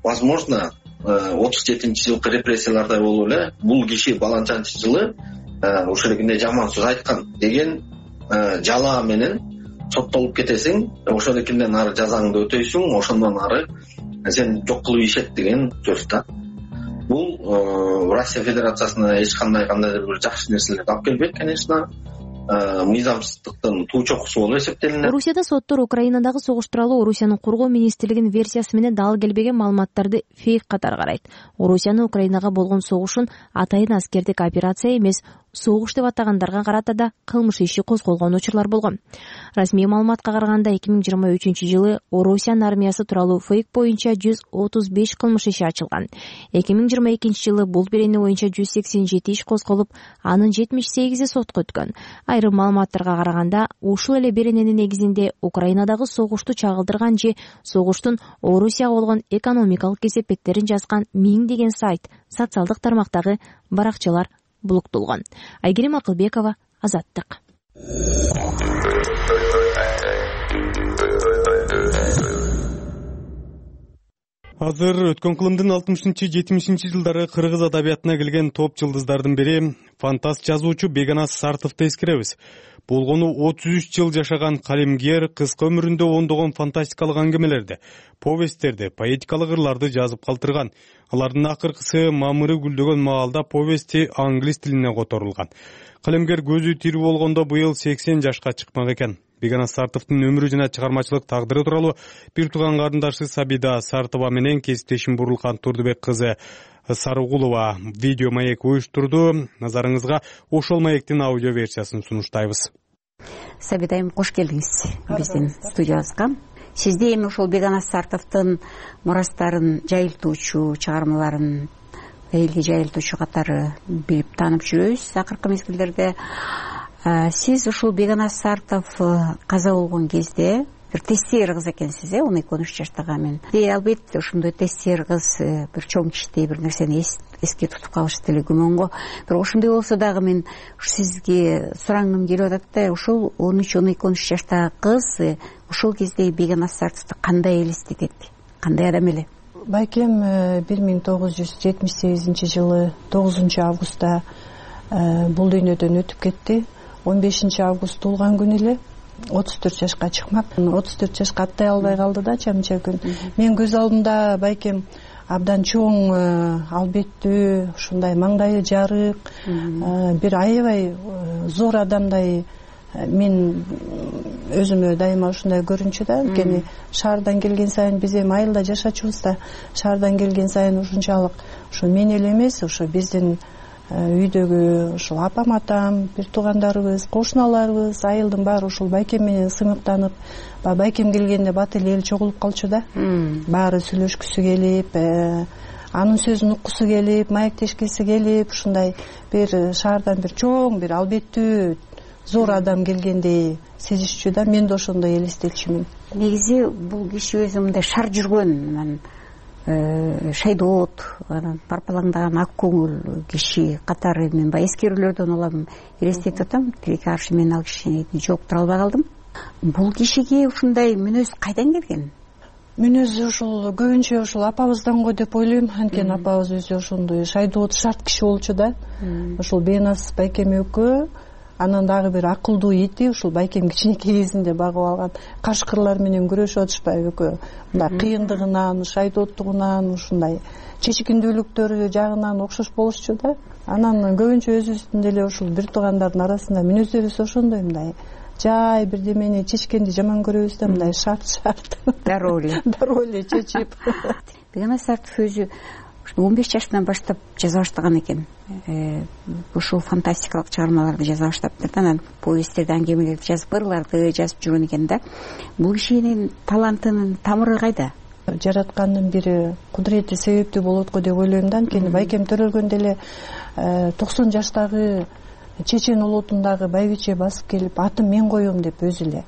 возможно 37 жылкы репрессиялардай болуп эле бул киши баланчанчы жылы ошол эле жаман сөз айткан деген жалаа менен соттолуп кетесиң, ошол экинден ары жазаңды өтөйсүң, ошондон ары сен жок кылып ишет деген сөз да. Бул Россия Федерациясына эч кандайдыр бир жакшы нерселерди алып келбейт, конечно. Мыйзамсыздыктын туу чокусу болуп эсептелинет. Орусияда соттор Украинадагы согуш тууралуу Орусиянын кургоо министрлигинин версиясы менен дал келбеген маалыматтарды фейк катары карайт. Орусиянын Украинага болгон согушун атайын аскердик операция эмес, согуш деп атагандарга карата да кылмыш иши козголгон учурлар болгон. Расмий маалыматка караганда 2023-жылы Орусиянын армиясы тууралуу фейк боюнча 135 кылмыш иши ачылган. 2022-жылы бул берене боюнча 187 иш козголуп, анын 78и сотко өткөн. Айрым маалыматтарга караганда, ушул эле берененин негизинде Украинадагы согушту чагылдырган же согуштун Орусияга болгон экономикалык кесепеттерин жазган миңдеген сайт, социалдык тармактагы баракчалар блоктолгон. Айгерим Акылбекова, Азаттык. Азыр өткөн кылымдын 60-70 жылдары кыргыз адабиятына келген топ жылдыздардын бири фантаст жазуучу Бегоназ Сартовду эскеребиз. Болгону 33 жыл жашаган калемгер кыска өмүрүндө ондогон фантастикалык аңгемелерди, повесттерди, поэтикалык ырларды жазып калтырган. Алардын акыркысы мамыры гүлдөгөн маалда повести англис тилине которулган. Калемгер көзү тирүү болгондо быйыл 80 жашка чыкмак экен. Бегоназ Сартовдун өмүрү жана чыгармачылык тагдыры тууралуу бир тууган карындашы Сабида Сартова менен кесиптешим Бурулкан Турдубек кызы Сарыгулова видео маек уюштурду. Назарыңызга ошол маектин аудио версиясын сунуштайбыз. Сабида айым, кош келдиңиз биздин студиябызга. Сизди эми ошол Бегоназ Сартовдун мурастарын жайылтуучу, чыгармаларын элге жайылтуучу катары билип таанып жүрөбүз акыркы мезгилдерде. Сиз ушул Бегоназ Сартов каза болгон кезде бир тестер кыз экенсиз, 12-13 жаштагы мен. Албетте ошондой тестер кыз бир чоң кичтей бир нерсени эске тутуп калышы деле күмөнгө. Бирок ошондой болсо дагы мен сизге сурангым келип атат да, ушул 13-12 жаштагы кыз ушул кезде Бегоназ Сартовду кандай элестетет, кандай адам эле? Байкем 1978 жылы 9 августта бул дүйнөдөн өтүп кетти. 15 август туулган күнү эле 34 жашка чыкмак. 34 жашка аттай албай калды да чамча күн. Мен көз алдымда байкем абдан чоң, албеттүү, ушундай маңдайы жарык, бир аябай зор адамдай мен өзүмө дайыма ушундай көрүнчү да. Анткени шаардан келген сайын биз эми айылда жашачубуз да, шаардан келген сайын ушунчалык ушу мен эле эмес, ушу биздин үйдөгү ушул апам, атам, бир туугандарыбыз, кошуналарыбыз, айылдын баары ушул байкем менен сыймыктанып, байкем келгенде бат эле эл чогулуп калчу да. Баары сүйлөшкүсү келип, анын сөзүн уккусу келип, маектешкиси келип, ушундай бир шаардан бир чоң, бир албеттүү зор адам келгендей сезишчү да. Мен да ошондой элестетчүмүн. Негизи бул киши өзү мындай шар жүргөн, шайдоот, парпалаңдаган ак көңүл киши катары мен баягы эскерүүлөрдөн улам элестетип атам. Тилекке каршы мен ал кишини жооптура албай калдым. Бул кишиге ушундай мүнөз кайдан келген? Мүнөзү ушул көбүнчө ушул апабыздан го деп ойлойм. Анткени апабыз өзү ошондой шайдоот, шарт киши болчу да. Ушул Бегоназ байкем экөө, анан дагы бир акылдуу ити ушул байкем кичинекей кезинде багып алган кашкырлар менен күрөшүп атышпайбы экөө. Мындай кыйындыгынан, шайдооттугунан, ушундай чечикиндүүлүктөрү жагынан окшош болушчу да. Анан көбүнчө өзүбүздүн деле ушул бир туугандардын арасында мүнөздөрүбүз ошондой, мындай жай бирдемени чечкенди жаман көрөбүз да, мындай шарт дароо эле чечип. Бегоназ Сартов өзү 15 жаштан баштап жаза баштаган экен. Ушул фантастикалык чыгармаларды жаза баштаптыр да, анан повесттерди, аңгемелерди жазып, ырларды жазып жүргөн экен да. Бул кишинин талантынын тамыры кайда? Жараткандын бири кудурети себептүү болот го деп ойлойм да. Анткени байкем төрөлгөндө эле 90 жаштагы чечен улутундагы байбиче басып келип, атын мен коем деп өзү эле.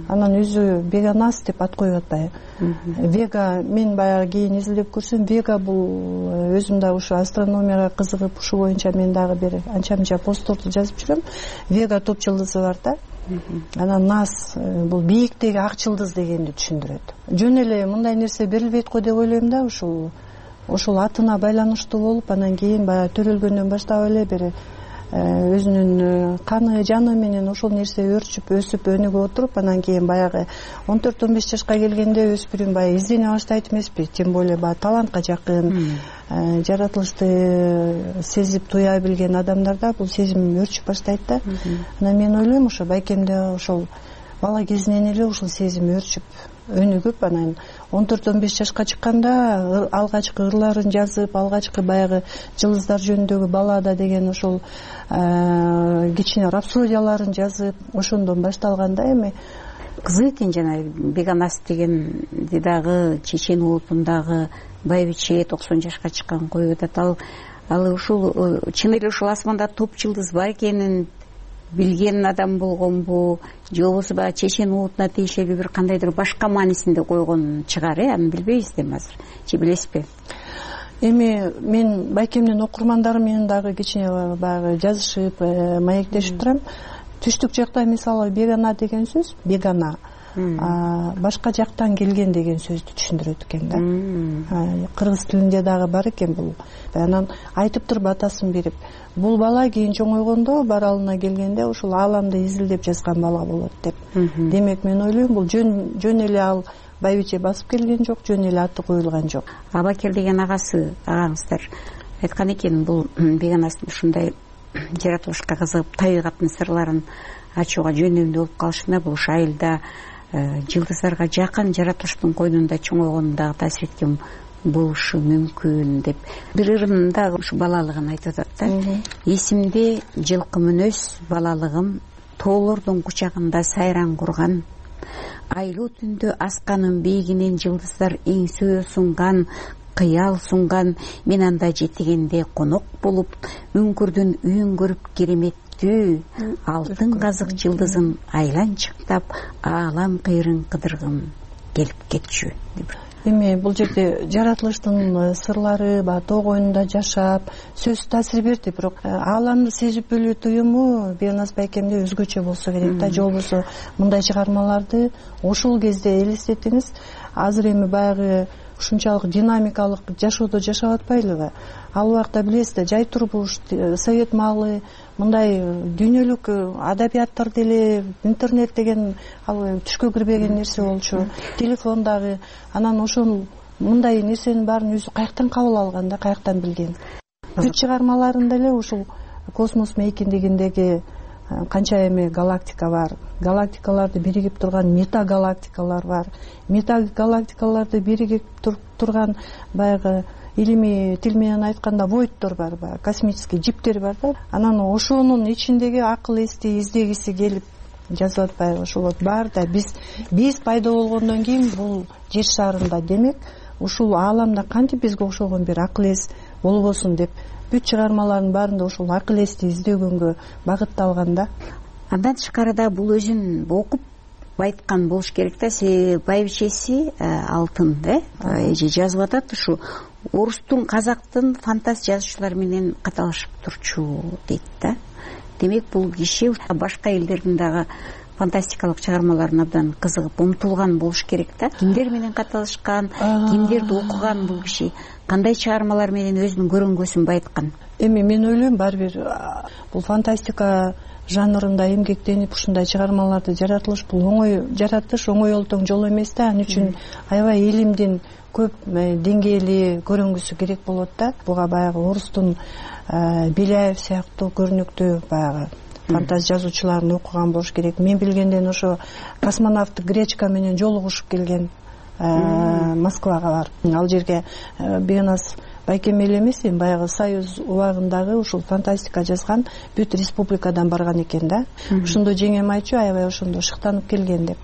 Анан өзү Бегоназ деп ат коюп атпайбы. Вега, мен баягы кийин изилдеп көрсөм, Вега бул өзүм дагы ушу астрономияга кызыгып, ушу боюнча мен дагы бир анча-мынча постторду жазып жүрөм. Вега топ жылдызы бар да. Анан Наз бул бийиктеги ак жылдыз дегенди түшүндүрөт. Жөн эле мындай нерсе берилбейт го деп ойлойм да. Ушул ошол атына байланыштуу болуп анан кийин баягы төрөлгөндөн баштап эле бир өзүнүн каны жаны менен ошол нерсе өрчүп өсүп өнүгүп отуруп анан кийин баягы 14-15 жашка келгенде өспүрүм баягы издене баштайт эмеспи, тем более баягы талантка жакын, жаратылышты сезип туя билген адамдарда бул сезим өрчүп баштайт да. Анан мен ойлойм ошо байкемде ошол бала кезинен эле ушул сезим өрчүп өнүгүп анан 14-15 жашка чыкканда алгачкы ырларын жазып, алгачкы баягы жылдыздар жөнүндөгү баллада деген ошол кичине рапсодияларын жазып, ошондон башталган да. Эми кызык экен, жана Беганас дегенди дагы Чечен улутундагы байбиче 90 жашка чыккан коюп атат. Ал ушул чын эле ушул асманда топ жылдыз бар экенин билген адам болгонбу же болбосо баягы Чечен улутуна тиешелүү бир кандайдыр башка маанисинде койгон чыгар, аны билбейбиз да азыр. Же билесизби? Эми мен байкемдин окурмандарым менен дагы кичине баягы жазышып, маектешип турам. Түштүк жакта мисалы бегана деген сөз, бегана башка жактан келген деген сөздү түшүндүрөт экен да. Кыргыз тилинде дагы бар экен бул. Анан айтып туруп атасын берип, бул бала кийин чоңойгондо баралына келгенде ушул ааламды изилдеп жазган бала болот деп. Демек мен ойлойм бул жөн эле ал байбиче басып келген жок, жөн эле аты коюлган жок. Абакел деген агаңыздар айткан экен, бул Беганастын ушундай жаратылышка кызыгып табигаттын сырларын ачууга жөндөмдүү болуп калышына бул айылда жылдыздарга жакын жаратылыштын койнунда чоңойгонундагы таасир эткен болушу мүмкүн деп. Бир ырында ушу балалыгын айтып атат да. Эсимде жылкы мүнөз балалыгым, тоолордун кучагында сайран курган, айлуу түндө асканын бийигинен жылдыздар эңсөө сунган, кыял сунган, мен анда жетигенде конок болуп, үңкүрдүн үйүн көрүп кереметтүү, алтын казык жылдызын айланчыктап, аалам кыйрын кыдыргым келип кетчү. Эми бул жерде жаратылыштын сырлары, тоо койнунда жашап, сөз таасир берди, бирок ааламды сезип билүү туюму Беганас байкемде өзгөчө болсо керек да. Же болбосо мындай чыгармаларды ошол кезде элестетиңиз. Азыр эми баягы ушунчалык динамикалык жашоодо жашап атпайлыбы? Ал убакта билесиз да, жай турмуш, совет маалы, мындай дүйнөлүк адабияттар деле, интернет деген ал түшкө кирбеген нерсе болчу, телефон дагы. Анан ошол мындай нерсенин баарын өзү каяктан кабыл алган да, каяктан билген. Бүт чыгармаларында эле ушул космос мейкиндигиндеги канча эми галактика бар, галактикаларды биригип турган метагалактикалар бар, метагалактикаларды биригип турган баягы илимий тил менен айтканда войдтор бар, космический жиптер бар да. Анан ошонун ичиндеги акыл эсти издегиси келип жазып атпайбы? Ошол бар да, биз пайда болгондон кийин бул жер шарында, демек ушул ааламда кантип бизге окшогон бир акыл эс болбосун деп бүт чыгармалардын баарында ошол акыл эсти издөгөнгө багытталган да. Андан тышкарыда бул өзүн окуп айткан болуш керек да. Байбичеси алтын эже жазып атат, ушу орустун, казактын фантаз жазуучулар менен каталашып турчу дейт да. Демек бул киши башка элдердин дагы фантастикалык чыгармаларына абдан кызыгып умтулган болуш керек да. Кимдер менен каталышкан, кимдерди окуган бул киши, кандай чыгармалар менен өзүнүн көрөнгөсүн байыткан? Эми мен ойлойм, баары бир бул фантастика жанрында эмгектенип ушундай чыгармаларды жаратылыш, бул жаратыш оңой олтоң жол эмес да. Ал үчүн аябай илимдин көп деңгээли көрүнгүсү керек болот да. Буга баягы орустун Беляев сыяктуу көрүнүктүү баягы фантаз жазуучуларын окуган болуш керек. Мен билгенден ошо космонавт Гречка менен жолугушуп келген Москвага барып, ал жерге Беганас байкем эле эмес, баягы Союз убагындагы ушул фантастика жазган бүт республикадан барган экен да. Ошондо жеңем айтчу, аябай ошондо шыктанып келген деп.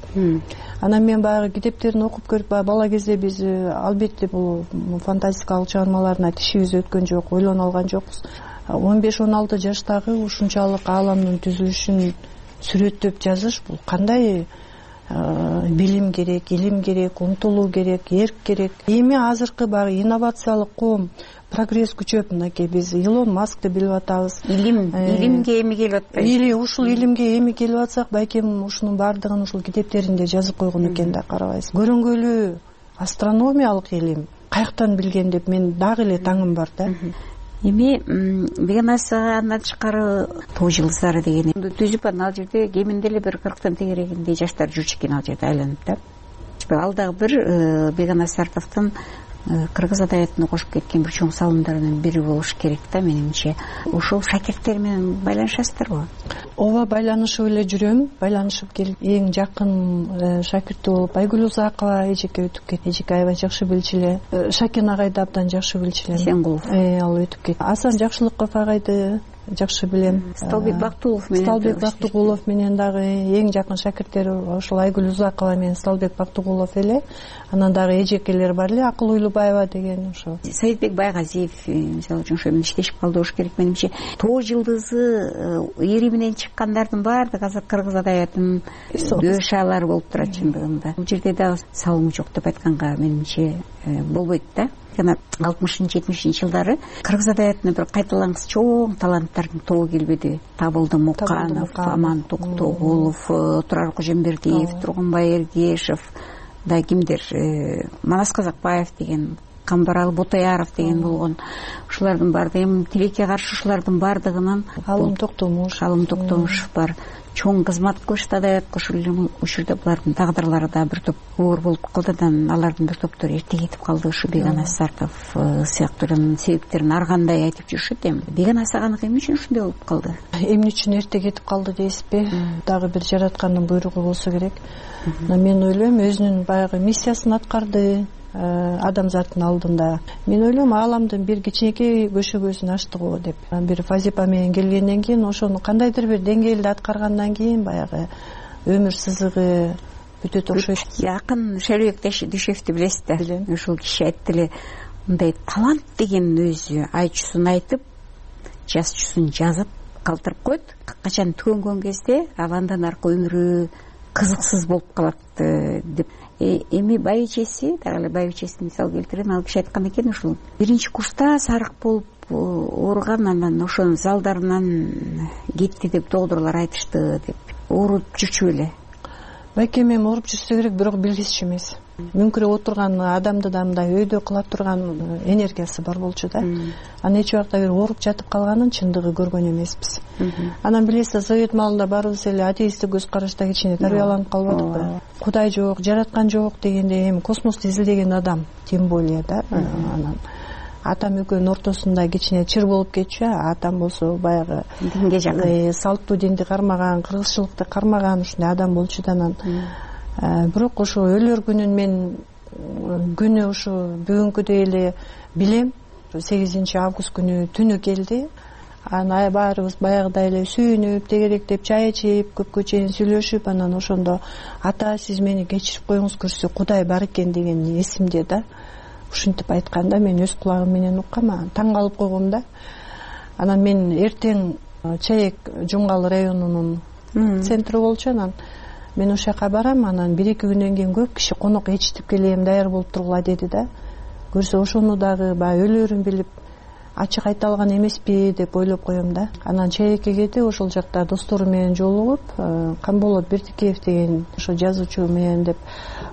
Анан мен баягы китептерин окуп көрүп, бала кезде биз албетте бул фантастикалык чыгармаларына тишибиз өткөн жок, ойлоно алган жокпуз. 15-16 жаштагы ушунчалык ааламдын түзүлүшүн сүрөттөп жазыш, бул кандай билим керек, илим керек, умтулуу керек, эрк керек. Эми азыркы баягы инновациялык коом, прогресс күчөп, мынакей биз Илон Маскты билип атабыз. Илимге эми келип атпайбы? Или ушул илимге эми келип атсак, байкем ушунун баардыгын ушул китептеринде жазып койгон экен да, карабайсыз. Көрөнгөлүү астрономиялык илим каяктан билген деп мен дагы эле таңым бар да. Эми Беганасанан тышкары тоо жылдыздары деген түзүп анан ал жерде кеминде эле бир 40тан тегерегиндей жаштар жүрчү экен ал жерде айланып да. Ал дагы бир Беганас Сартовдун кыргыз адабиятына кошуп кеткен бир чоң салымдарынын бири болуш керек да менимче. Ошол шакирттер менен байланышасыздарбы? Ооба, байланышып эле жүрөм. Байланышып келип эң жакын шакирти болуп Айгүл Узакова эжеке өтүп кетти. Эжеке аябай жакшы билчү эле. Шакен агайды абдан жакшы билчү элем. Сенгулов. Ал өтүп кетти. Асан Жакшылыков агайды жакшы билем. Сталбек Бактыгулов менен дагы эң жакын шакирттери ошол Айгүл Узакова менен Сталбек Бактыгулов эле. Анан дагы эжекелер бар эле, Акыл Уйлубаева деген ошо. Саидбек Байгазиев мисалы үчүн ошо менен иштешип калды болуш керек менимче. Тоо жылдызы эри менен чыккандардын баардыгы азыр кыргыз адабиятынын дөшалары болуп турат чындыгында. Бул жерде дагы салымы жок деп айтканга менимче болбойт да. Жана 60-70 жылдары кыргыз адабиятына бир кайталангыс чоң таланттардын тобу келбеди. Табылды Муканов, Аман Токтогулов, Турар Кожембердиев, Тургунбай Эргешев, да кимдер, Манас Казакбаев деген, Камбарал Ботаяров деген болгон. Ушулардын баардыгы тилекке каршы ушулардын баардыгынын Алым Токтомуш бар. Чоң кызмат кылышты адабиятка. Ушул булардын тагдырлары да бир топ оор болуп калды. Алардын бир топтору эрте кетип калды. Ушу Беганас Сартов сыяктуулардын себептерин ар кандай айтып жүрүшөт. Эми Беганас аганыкы эмне үчүн ушундай болуп калды? Эмне үчүн эрте кетип калды дейсизби? Дагы бир жараткандын буйругу болсо керек. Мен ойлойм, өзүнүн баягы миссиясын аткарды адамзаттын алдында. Мен ойлойм, ааламдын бир кичинекей көшөгөсүн ачты го деп. Бир вазипа менен келгенден кийин ошону кандайдыр бир деңгээлде аткаргандан кийин баягы өмүр сызыгы бүтөт окшойт. Жакын Шербек Дүйшевди билесиз да? Билем. Ошол киши айтты эле, мындай талант деген өзү айчуусун айтып, жазчусун жазып калтырып коет. Качан түгөнгөн кезде ал андан аркы өмүрү кызыксыз болуп калат деп. Эми байбичеси, дагы эле байбичесин мисал келтирем, ал киши айткан экен, ушул биринчи курста сарык болуп ооруган, анан ошонун залдарынан кетти деп доктурлар айтышты деп. Ооруп жүрчү беле? Байкем эми ооруп жүрсө керек, бирок билгисчү эмес. Мүңкүрөп отурган адамда да мындай өйдө кыла турган энергиясы бар болчу да. Анан эч убакта бир ооруп жатып калганын чындыгы көргөн эмеспиз. Анан билесиз, совет маалында баарыбыз эле атеисттик көз карашта кичине тарбияланып калбадыкпы? Кудай жок, жараткан жок дегенде эми космосту изилдеген адам тем более да. Анан атам экөөнүн ортосунда кичине чыр болуп кетчү. Атам болсо баягы динге жакын, салттуу динди кармаган, кыргызчылыкты кармаган ушундай адам болчу да. Анан бирок ошо өлөр күнүн мен күнү ушу бүгүнкүдөй эле билем. 8 август күнү түнү келди. Анан баарыбыз баягыдай эле сүйүнүп, тегеректеп, чай ичип, көпкө чейин сүйлөшүп, анан ошондо ата сиз мени кечирип коюңуз, көрсө Кудай бар экен деген эсимде да. Ушинтип айтканда мен өз кулагым менен уккам, таң калып койгом да. Анан мен эртең Чаек Жумгал районунун центри болчу. Анан мен ошол жака барам. Анан 1-2 күндөн кийин көп киши конок ичтип келем, даяр болуп тургула деди да. Көрсө ошону дагы баягы өлөрүн билип ачык айта алган эмеспи деп ойлоп коем да. Анан Чаекке кетип ошол жакта достору менен жолугуп, Камболот Бердикеев деген ошо жазуучу менен деп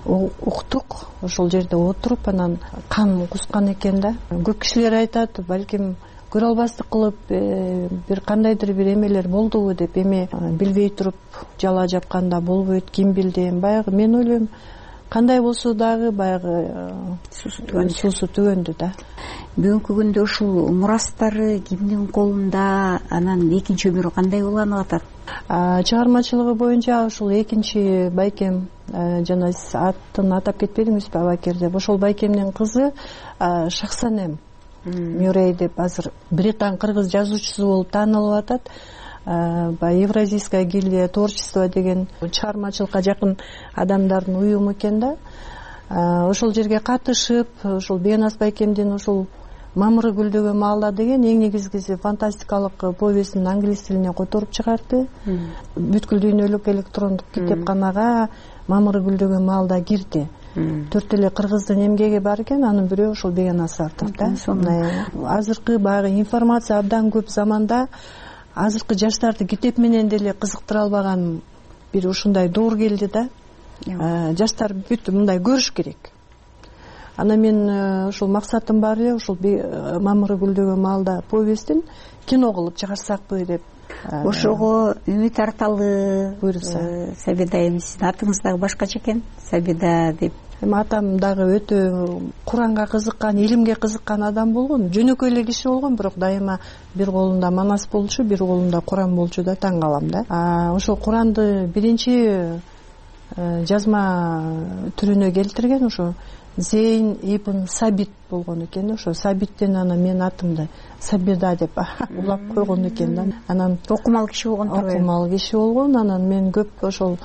уктук. Ошол жерде отуруп, анан кан кускан экен да. Көп кишилер айтат, балким көрө албастык кылып бир кандайдыр бир эмелер болдубу деп. Эми билбей туруп жала жапканда болбойт, ким билди. Баягы мен ойлойм, кандай болсо дагы баягы суусу түгөндү да. Бүгүнкү күндө ушул мурастары кимдин колунда, анан экинчи өмүрү кандай уланып атат? Чыгармачылыгы боюнча ушул экинчи байкем, жана сиз атын атап кетпедиңизби, Абакер деп. Ошол байкемдин кызы Шахсанем Мюррей деп азыр британ кыргыз жазуучусу болуп таанылып атат. Евразийская гильдия творчества деген чыгармачылыкка жакын адамдардын уюму экен да. Ошол жерге катышып, ошол Беганас байкемдин ошол Мамыры гүлдөгөн маалда деген эң негизгиси фантастикалык повестин англис тилине которуп чыгарды. Бүткүл дүйнөлүк электрондук китепканага Мамыры гүлдөгөн маалда кирди. 4 эле кыргыздын эмгеги бар экен, анын бирөө ошол Беганас Сартов да. Азыркы баягы информация абдан көп заманда азыркы жаштарды китеп менен деле кызыктыра албаган бир ушундай доор келди да. Жаштар бүт мындай көрүш керек. анан мен ушул максатым бар эле ушул мамыры гүлдөгөн маалда повестин кино кылып чыгарсакпы деп. Ошого үмүт арталы. Буюрса. Сабида эми сиздин атыңыз дагы башкача экен, Сабида деп. Эми атам дагы өтө Куранга кызыккан, илимге кызыккан адам болгон, жөнөкөй эле киши болгон, бирок дайыма бир колунда манас болчу, бир колунда Куран болчу да, таң калам да. Ошол Куранды биринчи жазма түрүнө келтирген ошо Зейн ибн Сабит болгон экен. Ошо Сабиттен анан менин атымды Сабида деп улап койгон экен да. Анан окумал киши болгон. Окумал киши болгон. Анан мен көп ошол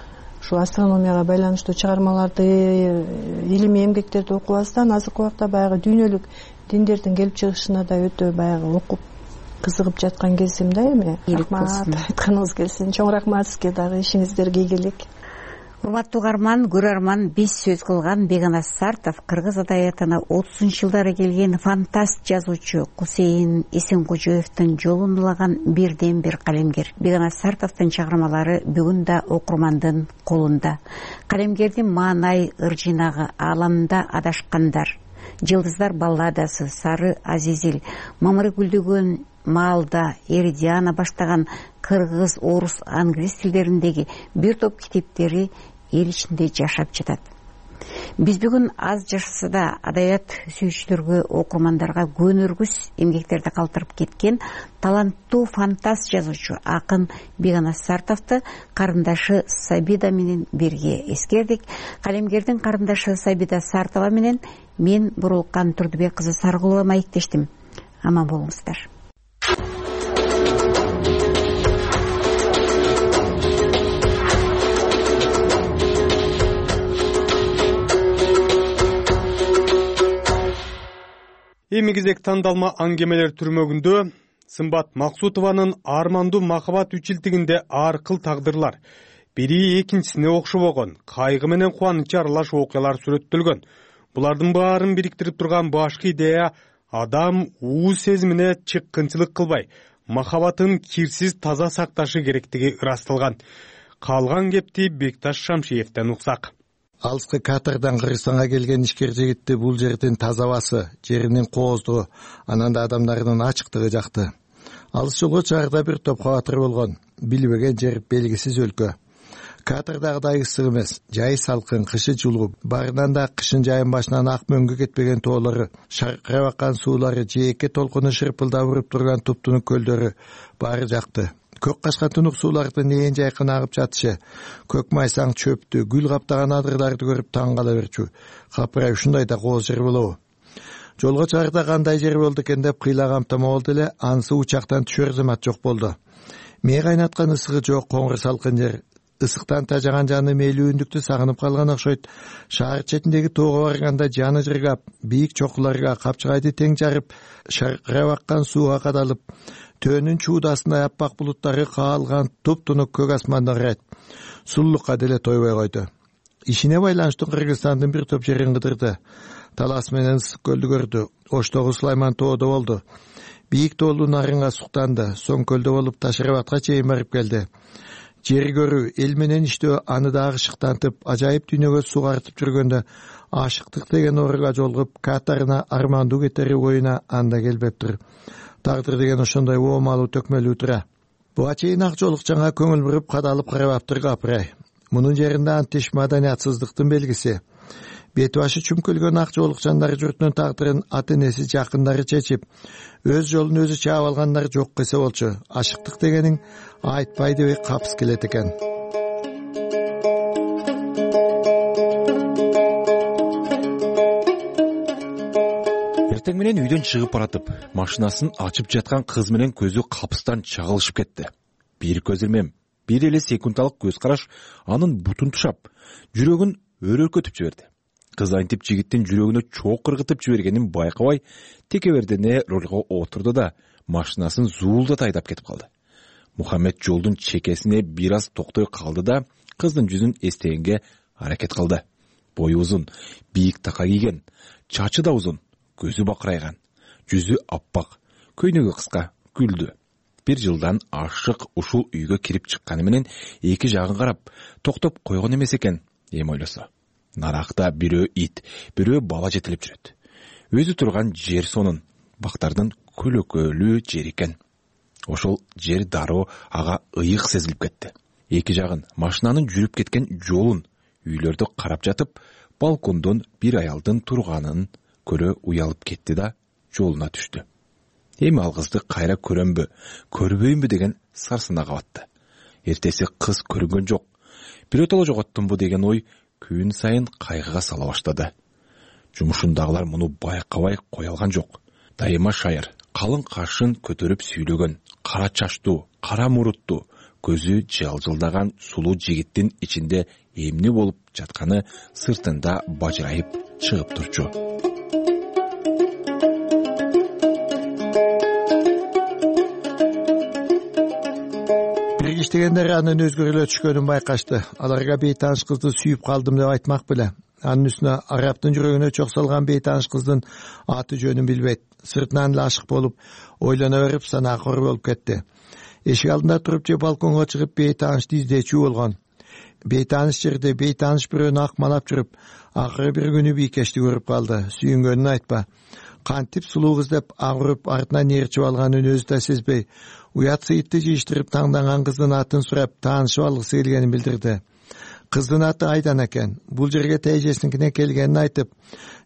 астрономияга байланыштуу чыгармаларды, илимий эмгектерди окубастан азыркы убакта баягы дүйнөлүк диндердин келип чыгышына да өтө баягы окуп кызыгып жаткан кезим да эми. Рахмат айтканыңыз келсин. Чоң рахмат сизге дагы, ишиңиздер ийгилик. Урматтуу угарман, көрөрман, биз сөз кылган Бегана Сартов кыргыз адабиятына 30-жылдары келген фантаст жазуучу Кусейин Эсенкожоевдун жолун улаган бирден бир калемгер. Бегана Сартовдун чыгармалары бүгүн да окурмандын колунда. Калемгердин маанай ыржыйнагы Ааламда адашкандар, Жылдыздар балладасы, Сары Азизил, Мамыры гүлдөгөн маалда, Эридиана баштаган кыргыз, орус, англис тилдериндеги бир топ китептери эл ичинде жашап жатат. Биз бүгүн аз жашаса да адабият сүйүүчүлөргө, окурмандарга көнөргүс эмгектерди калтырып кеткен таланттуу фантаст жазуучу акын Бегана Сартовду карындашы Сабида менен бирге эскердик. Калемгердин карындашы Сабида Сартова менен мен Бурулкан Турдубек кызы Саргулова маектештим. Аман болуңуздар. Эми кезек тандалма аңгемелер түрмөгүндө Сымбат Максутованын армандуу махабат үчилтигинде ар кыл тагдырлар, бири экинчисине окшобогон, кайгы менен кубанычы аралаш окуялар сүрөттөлгөн. Булардын баарын бириктирип турган башкы идея адам ууз сезимине чыккынчылык кылбай, махабатын кирсиз таза сакташы керектиги ырасталган. Калган кепти Бекташ Шамшиевден уксак. Алыскы Катардан Кыргызстанга келген ишкер жигитти бул жердин таза абасы, жеринин кооздугу, анан да адамдарынын ачыктыгы жакты. Алыс жолго чыгарда бир топ кабатыр болгон, билбеген жер, белгисиз өлкө. Катардагыдай ысык эмес, жай салкын, кышы жулуп, барынан да кышын жайын башынан ак мөңгү кетпеген тоолору, шаркырап аккан суулары, жээкке толкуну шырпылдап уруп турган туптунук көлдөрү баары жакты. Көк качкан тунук суулардын ээн жайкын агып жатышы, көк майсаң чөптү, гүл каптаган адырларды көрүп таң кала берчү. Капырай ушундай да кооз жер болобу? Жолго чыгарда кандай жер болду экен деп кыйлагам томо болду эле, анысы учактан түшөр замат жок болду. Мээ кайнаткан ысыгы жок, коңур салкын жер. Ысыктан тажаган жаны мээлүүндүктү сагынып калган окшойт. Шаар четиндеги тоого барганда жаны жыргап, бийик чокуларга капчыгайды тең жарып, шаркырап аккан сууга кадалып, төөнүн чуудасындай аппак булуттары каалган туптунук көк асманды карайт. Суллукка деле тойбой койду. Ишине байланыштуу Кыргызстандын бир топ жерин кыдырды. Талас менен Ысык көлдү көрдү. Оштогу Сулайман тоодо болду. Бийик тоолуу нарынга суктанды. Соң көлдө болуп Ташырабатка чейин барып келди. Жер көрүү, эл менен иштөө аны дагы шыктантып, ажайып дүйнөгө сугартып жүргөндө ашыктык деген ооруга жолугуп, Катарына армандуу кетери оюна анда келбептир. Тагдыр деген ошондой оомалуу төкмөлүү тура. Буга чейин ак жолукчанга көңүл буруп кадалып карабаптыр капырай. Мунун жеринде антиш маданиятсыздыктын белгиси. Бети башы чүмкүлгөн ак жолукчандар журтунун тагдырын ата энеси жакындары чечип, өз жолун өзү чаап алгандар жок десе болчу. Ашыктык дегениң айтпай дебей капыс келет экен. Эртең менен үйдөн чыгып баратып, машинасын ачып жаткан кыз менен көзү капыстан чагылышып кетти. Бир көз илмем, бир эле секундалык көз караш анын бутун тушап, жүрөгүн өрөкөтүп жиберди. Кыз антип жигиттин жүрөгүнө чоок кыргытып жибергенин байкабай, текебердене рөлгө отурду да машинасын зуулдата айдап кетип калды. Мухаммед жолдун чекесине бир аз токтой калды да кыздын жүзүн эстегенге аракет кылды. Бою узун, бийик така кийген, чачы да узун, көзү бакырайган, жүзү аппак, көйнөгү кыска, күлдү. Бир жылдан ашык ушул үйгө кирип чыкканы менен эки жагын карап, токтоп койгон эмес экен, эми ойлосо. Наракта бирөө ит, бирөө бала жетелеп жүрөт. Өзү турган жер сонун, бактардын көлөкөлүү жер экен. Ошол жер дароо ага ыйык сезилип кетти. Эки жагын машинанын жүрүп кеткен жолун, үйлөрдү карап жатып, балкондон бир аялдын турганын көрө уялып кетти да жолуна түштү. Эми ал кызды кайра көрөмбү, көрбөймбү деген сарсанага батты. Эртеси кыз көрүнгөн жок. Биротоло жоготтумбу деген ой күн сайын кайгыга сала баштады. Жумушундагылар муну байкабай кое алган жок. Дайыма шайыр, калың кашын көтөрүп сүйлөгөн, кара чачтуу, кара муруттуу, көзү жылжылдаган сулуу жигиттин ичинде эмне болуп жатканы сыртында бажырайып чыгып турчу. Иштегендер анын өзгөрүлө түшкөнүн байкашты. Аларга бейтааныш кызды сүйүп калдым деп айтмак беле. Анын үстүнө араптын жүрөгүнө чок салган бейтааныш кыздын аты жөнүн билбейт. Сыртынан эле ашык болуп, ойлоно берип санаакор болуп кетти. Эшик алдында туруп же балконго чыгып бейтаанышты издечүү болгон. Бейтааныш жерде бейтааныш бирөөнү акмалап жүрүп, акыры бир күнү бийкешти көрүп калды. Сүйүнгөнүн айтпа. Кантип сулуу кыз деп агырып артынан ээрчип алганын өзү да сезбей, уят сыйытты жыйыштырып таңданган кыздын атын сурап таанышып алгысы келгенин билдирди. Кыздын аты Айдана экен. Бул жерге тейжесиңкине келгенин айтып,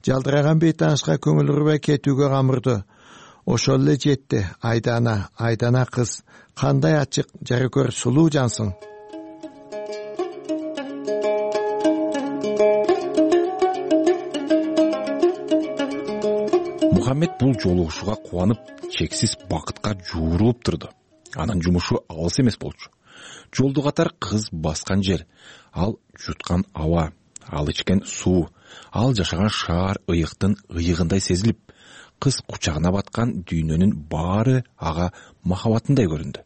жалдыраган бейтаанышка көңүл урбай кетүүгө камырды. Ошол эле жетти. Айдана кыз. Кандай ачык, жарыкөр, сулуу жансың. Мухаммед бул жолугушууга кубанып, чексиз бакытка жуурулуп турду. Анын жумушу алыс эмес болчу. Жолду катар кыз баскан жер, ал жуткан аба, ал ичкен суу, ал жашаган шаар ыйыктын ыйыгындай сезилип, кыз кучагына баткан дүйнөнүн баары ага махабатындай көрүндү.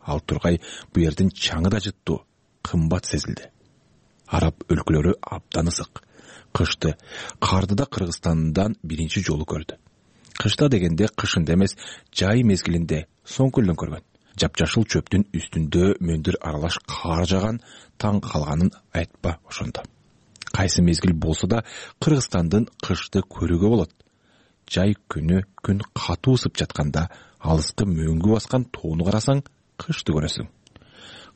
Ал тургай бу жердин чаңы да жыттуу, кымбат сезилди. Араб өлкөлөрү абдан ысык. Кышты, карды да Кыргызстандан биринчи жолу көрдү. Кышта дегенде кышында эмес, жай мезгилинде соңкүлдөн көргөн. Жапжашыл чөптүн үстүндө мөндүр аралаш кар жаган, таң калганын айтпа ошондо. Кайсы мезгил болсо да Кыргызстандын кышты көрүүгө болот. Жай күнү күн катуу ысып жатканда алыскы мөңгү баскан тоону карасаң, кышты көрөсүң.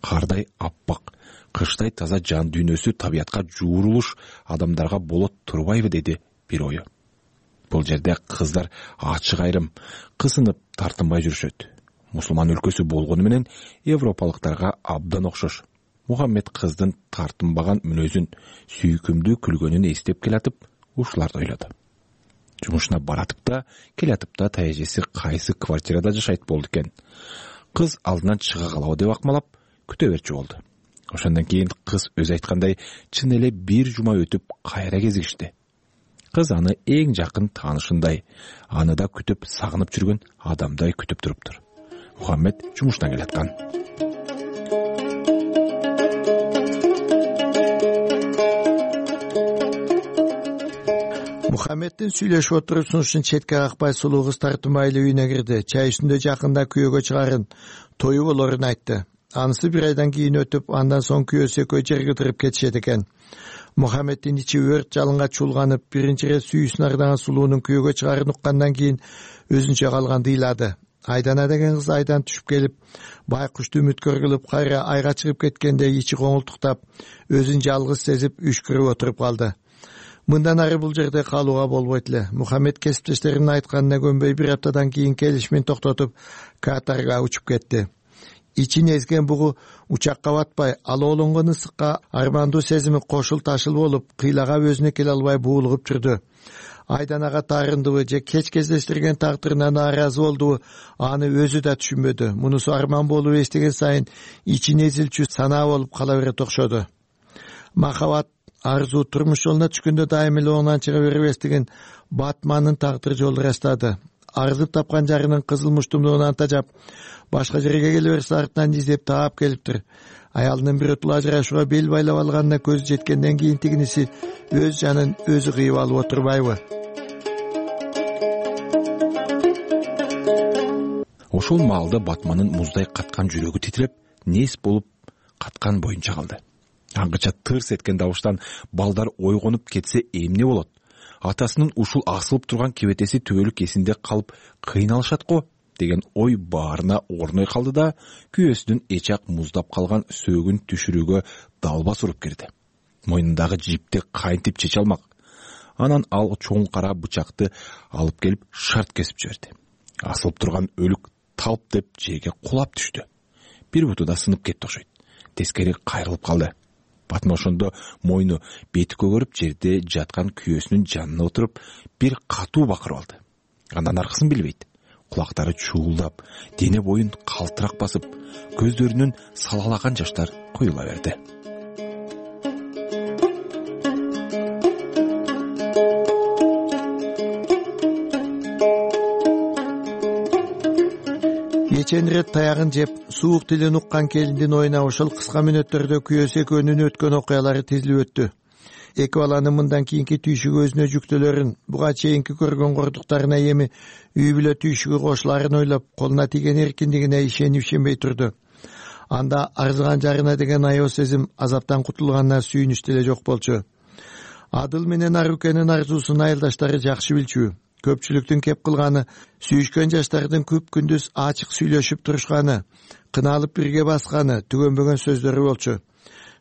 Кардай аппак, кыштай таза жан дүйнөсү табиятка жуурулуш адамдарга болот турбайбы деди бир ою. Бул жерде кыздар ачык айрым, кысынып тартынбай жүрүшөт. Мусулман өлкөсү болгону менен европалыктарга абдан окшош. Мухаммед кыздын тартынбаган мүнөзүн, сүйкүмдүү күлгөнүн эстеп келатып, ушуларды ойлоду. Жумушуна баратып да, келатып да тайэжеси кайсы квартирада жашайт болду экен. Кыз алдынан чыга калабы деп акмалап, күтө берчү болду. Ошондон кийин кыз өзү айткандай чын эле бир жума өтүп кайра кезигишти. Кыз аны эң жакын таанышындай, аны да күтүп сагынып жүргөн адамдай күтүп туруптур. Мухаммед жумуштан келаткан. Мухаммеддин сүйлөшүп отуруп сунушун четке какпай сулуу кыз тартынбай эле үйүнө кирди. Чай үстүндө жакында күйөөгө чыгарын, тою болорун айтты. Анысы бир айдан кийин өтүп, андан соң күйөөсү экөө жерге кыдырып кетишет экен. Мухаммеддин ичи өрт жалынга чуулганып, биринчи ирет сүйүүсүн ардаган сулуунун күйөөгө чыгарын уккандан кийин өзүнчө калганды ыйлады. Айдана деген кыз айдан түшүп келип, байкушту үмүткөр кылып, кайра айга чыгып кеткенде ичи коңултуктап, өзүн жалгыз сезип, үшкүрүп отуруп калды. Мындан ары бул жерде калууга болбойт эле. Мухаммед кесиптештеринин айтканына көнбөй бир аптадан кийин келишимин токтотуп, Катарга учуп кетти. Ичин эзген бугу учакка батпай, алоолонгон ысыкка армандуу сезими кошул ташыл болуп, кыйлагап өзүнө келе албай буулугуп жүрдү. Айданага таарындыбы же кеч кездештирген тагдырына нааразы болдубу, аны өзү да түшүнбөдү. Мунусу арман болуп эстеген сайын ичин эзилчү санаа болуп кала берет окшоду. Махабат, арзуу турмуш жолуна түшкөндө дайым эле оңунан чыга бербестигин Батмандын тагдыр жолу ырастады. Арзып тапкан жарынын кызыл муштумдугунан тажап, башка жерге келе берсе артынан издеп таап келиптир. Аялынын биротула ажырашууга бел байлап алганына көзү жеткенден кийин тигиниси өз жанын өзү кыйып алып отурбайбы? Ошол маалда Батмандын муздай каткан жүрөгү титиреп, нес болуп каткан боюнча калды. аңгыча тырс эткен добуштан балдар ойгонуп кетсе эмне болот? Атасынын ушул асылып турган кебетеси түбөлүк эсинде калып кыйналышат го деген ой баарына орной калды да күйөөсүнүн эчак муздап калган сөөгүн түшүрүүгө далбас уруп кирди. Мойнундагы жипти кантип чече алмак? Анан ал чоң кара бычакты алып келип шарт кесип жиберди. Асылып турган өлүк талп деп жерге кулап түштү. Бир буту да сынып кетти окшойт. Тескери кайрылып калды. Батма ошондо мойну бети көгөрүп жерде жаткан күйөөсүнүн жанына отуруп бир катуу бакырып алды. Андан аркысын билбейт. Кулактары чуулдап, дене боюн калтырак басып, көздөрүнүн салалаган жаштар куюла берди. Кечен ирет таягын жеп, суук тилин уккан келиндин оюна ошол кыска мүнөттөрдө күйөөсү экөөнүн өткөн окуялары тизилип өттү. Эки баланын мындан кийинки түйшүгү өзүнө жүктөлөрүн, буга чейинки көргөн кордуктарына эми үй бүлө түйшүгү кошуларын ойлоп, колуна тийген эркиндигине ишенip-ишенбей турду. Анда арзыган жарына деген аял сезим азаптан кутулганына сүйүнүч деле жок болчу. Адыл менен Арукенин арзуусун айылдаштары жакшы билчү. Көпчүлүктүн кеп кылганы сүйүшкөн жаштардын күп күндүз ачык сүйлөшүп турушканы, кыналып бирге басканы, түгөнбөгөн сөздөрү болчу.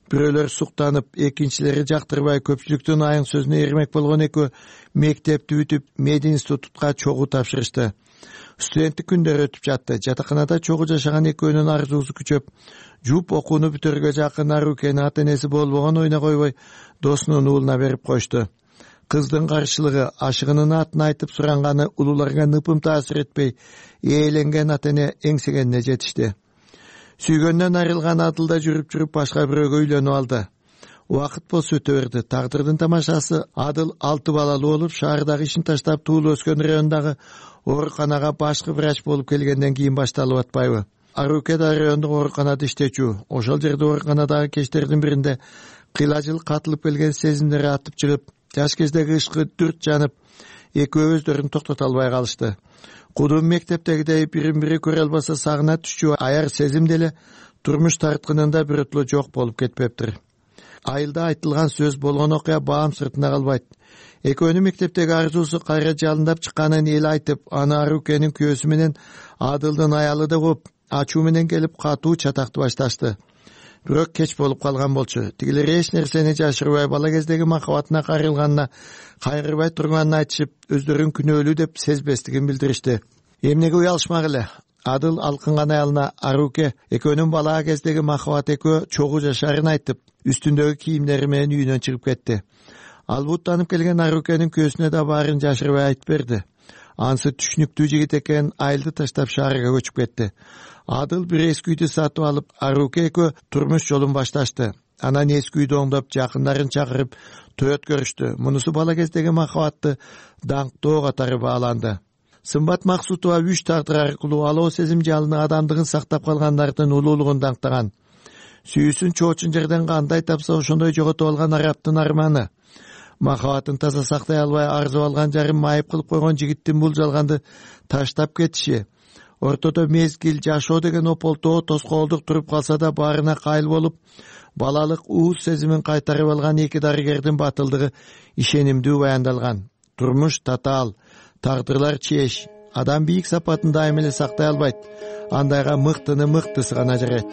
Бирөөлөр суктанып, экинчилери жактырбай көпчүлүктүн айың сөзүнө эрмек болгон экөө мектепти бүтүп, мединститутка чогуу тапшырышты. Студенттик күндөр өтүп жатты. Жатаканада чогуу жашаган экөөнүн арзуусу күчөп, жуп окууну бүтөргө жакын Арукени ата-энеси болбогон оюна койбой, досунун уулуна берип коюшту. Кыздын каршылыгы, ашыгынын атын айтып суранганы улууларга ныпым таасир этпей, ээленген ата-эне эңсегенине жетишти. Сүйгөндөн айрылган Адылда жүрүп башка бирөөгө үйлөнүп алды. Убакыт болсо өтө берди. Тагдырдын тамашасы Адыл 6 балалуу болуп, шаардагы ишин таштап туулуп өскөн райондагы ооруканага башкы врач болуп келгенден кийин башталып атпайбы? Аруке да райондук ооруканада иштечү. Ошол жерде ооруканадагы кечтердин биринде кыйла-жыл катылып келген сезимдери атып чыгып, жаш кездеги ышкы дүрт жанып, экөө өздөрүн токтото албай калышты. Кудум мектептегидей бирин-бири көрө албаса сагына түшчү аяр сезим деле турмуш тарткынында бирөтлө жок болуп кетпептир. Айылда айтылган сөз болгон окуя баам сыртына калбайт. Экөөнүн мектептеги арзуусу кайра жалындап чыкканын эл айтып, аны Арукенин күйөөсү менен Адылдын аялы да коп, ачуу менен келип катуу чатакты башташты. Бирок кеч болуп калган болчу. Тигилер эч нерсени жашырбай бала кездеги махабатына кайрылганына, кайрылбай турганын айтышып, өздөрүн күнөөлүү деп сезбестигин билдиришти. Эмнеге уялышмак эле? Адыл алкынган аялына Аруке экөөнүн бала кездеги махабат экөө чогуу жашаарын айтып, үстүндөгү кийимдери менен үйүнөн чыгып кетти. Ал буттанып келген Арукенин күйөөсүнө да баарын жашырбай айтып берди. Анысы түшүнүктүү жигит экен, айылды таштап шаарга көчүп кетти. Адыл бир эски үйдү сатып алып, Аруке экөө турмуш жолун башташты. Анан эски үйдү оңдоп, жакындарын чакырып, той өткөрүштү. Мунусу бала кездеги махабатты даңктоо катары бааланды. Сымбат Максутова үч тагдыр аркылуу алоо сезим жалыны адамдыгын сактап калгандардын улуулугун даңктаган. Сүйүүсүн чоочун жерден кандай тапса ошондой жоготуп алган араптын арманы. Махабатын таза сактай албай арзып алган жарым майып кылып койгон жигиттин бул жалганды таштап кетиши. Ортодо мезгил, жашоо деген ополтоо, тоскоолдук туруп калса да баарына кайыл болуп, балалык ууз сезимин кайтарып алган эки дарыгердин батылдыгы ишенимдүү баяндалган. Турмуш татаал, тагдырлар чеч. Адам бийик сапатын дайым эле сактай албайт. Андайга мыктыны мыктысы гана жарайт.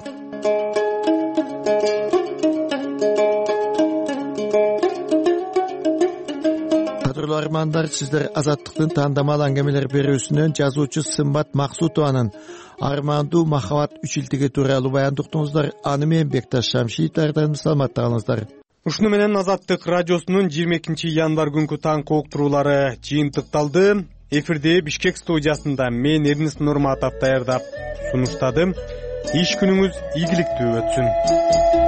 Кадырлуу армандар, сиздер Азаттыктын тандамал аңгемелер берүүсүнөн жазуучу Сымбат Максутованын Армандуу махабат үчилтиги тууралуу баян уктуңуздар. Аны менен Бекташ Шамшиевдерден саламатта калыңыздар. Ушуну менен Азаттык радиосунун 22 январь күнкү таңкы уктуруулары жыйынтыкталды. Эфирде Бишкек студиясында мен Эрнис Нурматов даярдап сунуштадым. Иш күнүңүз ийгиликтүү өтсүн.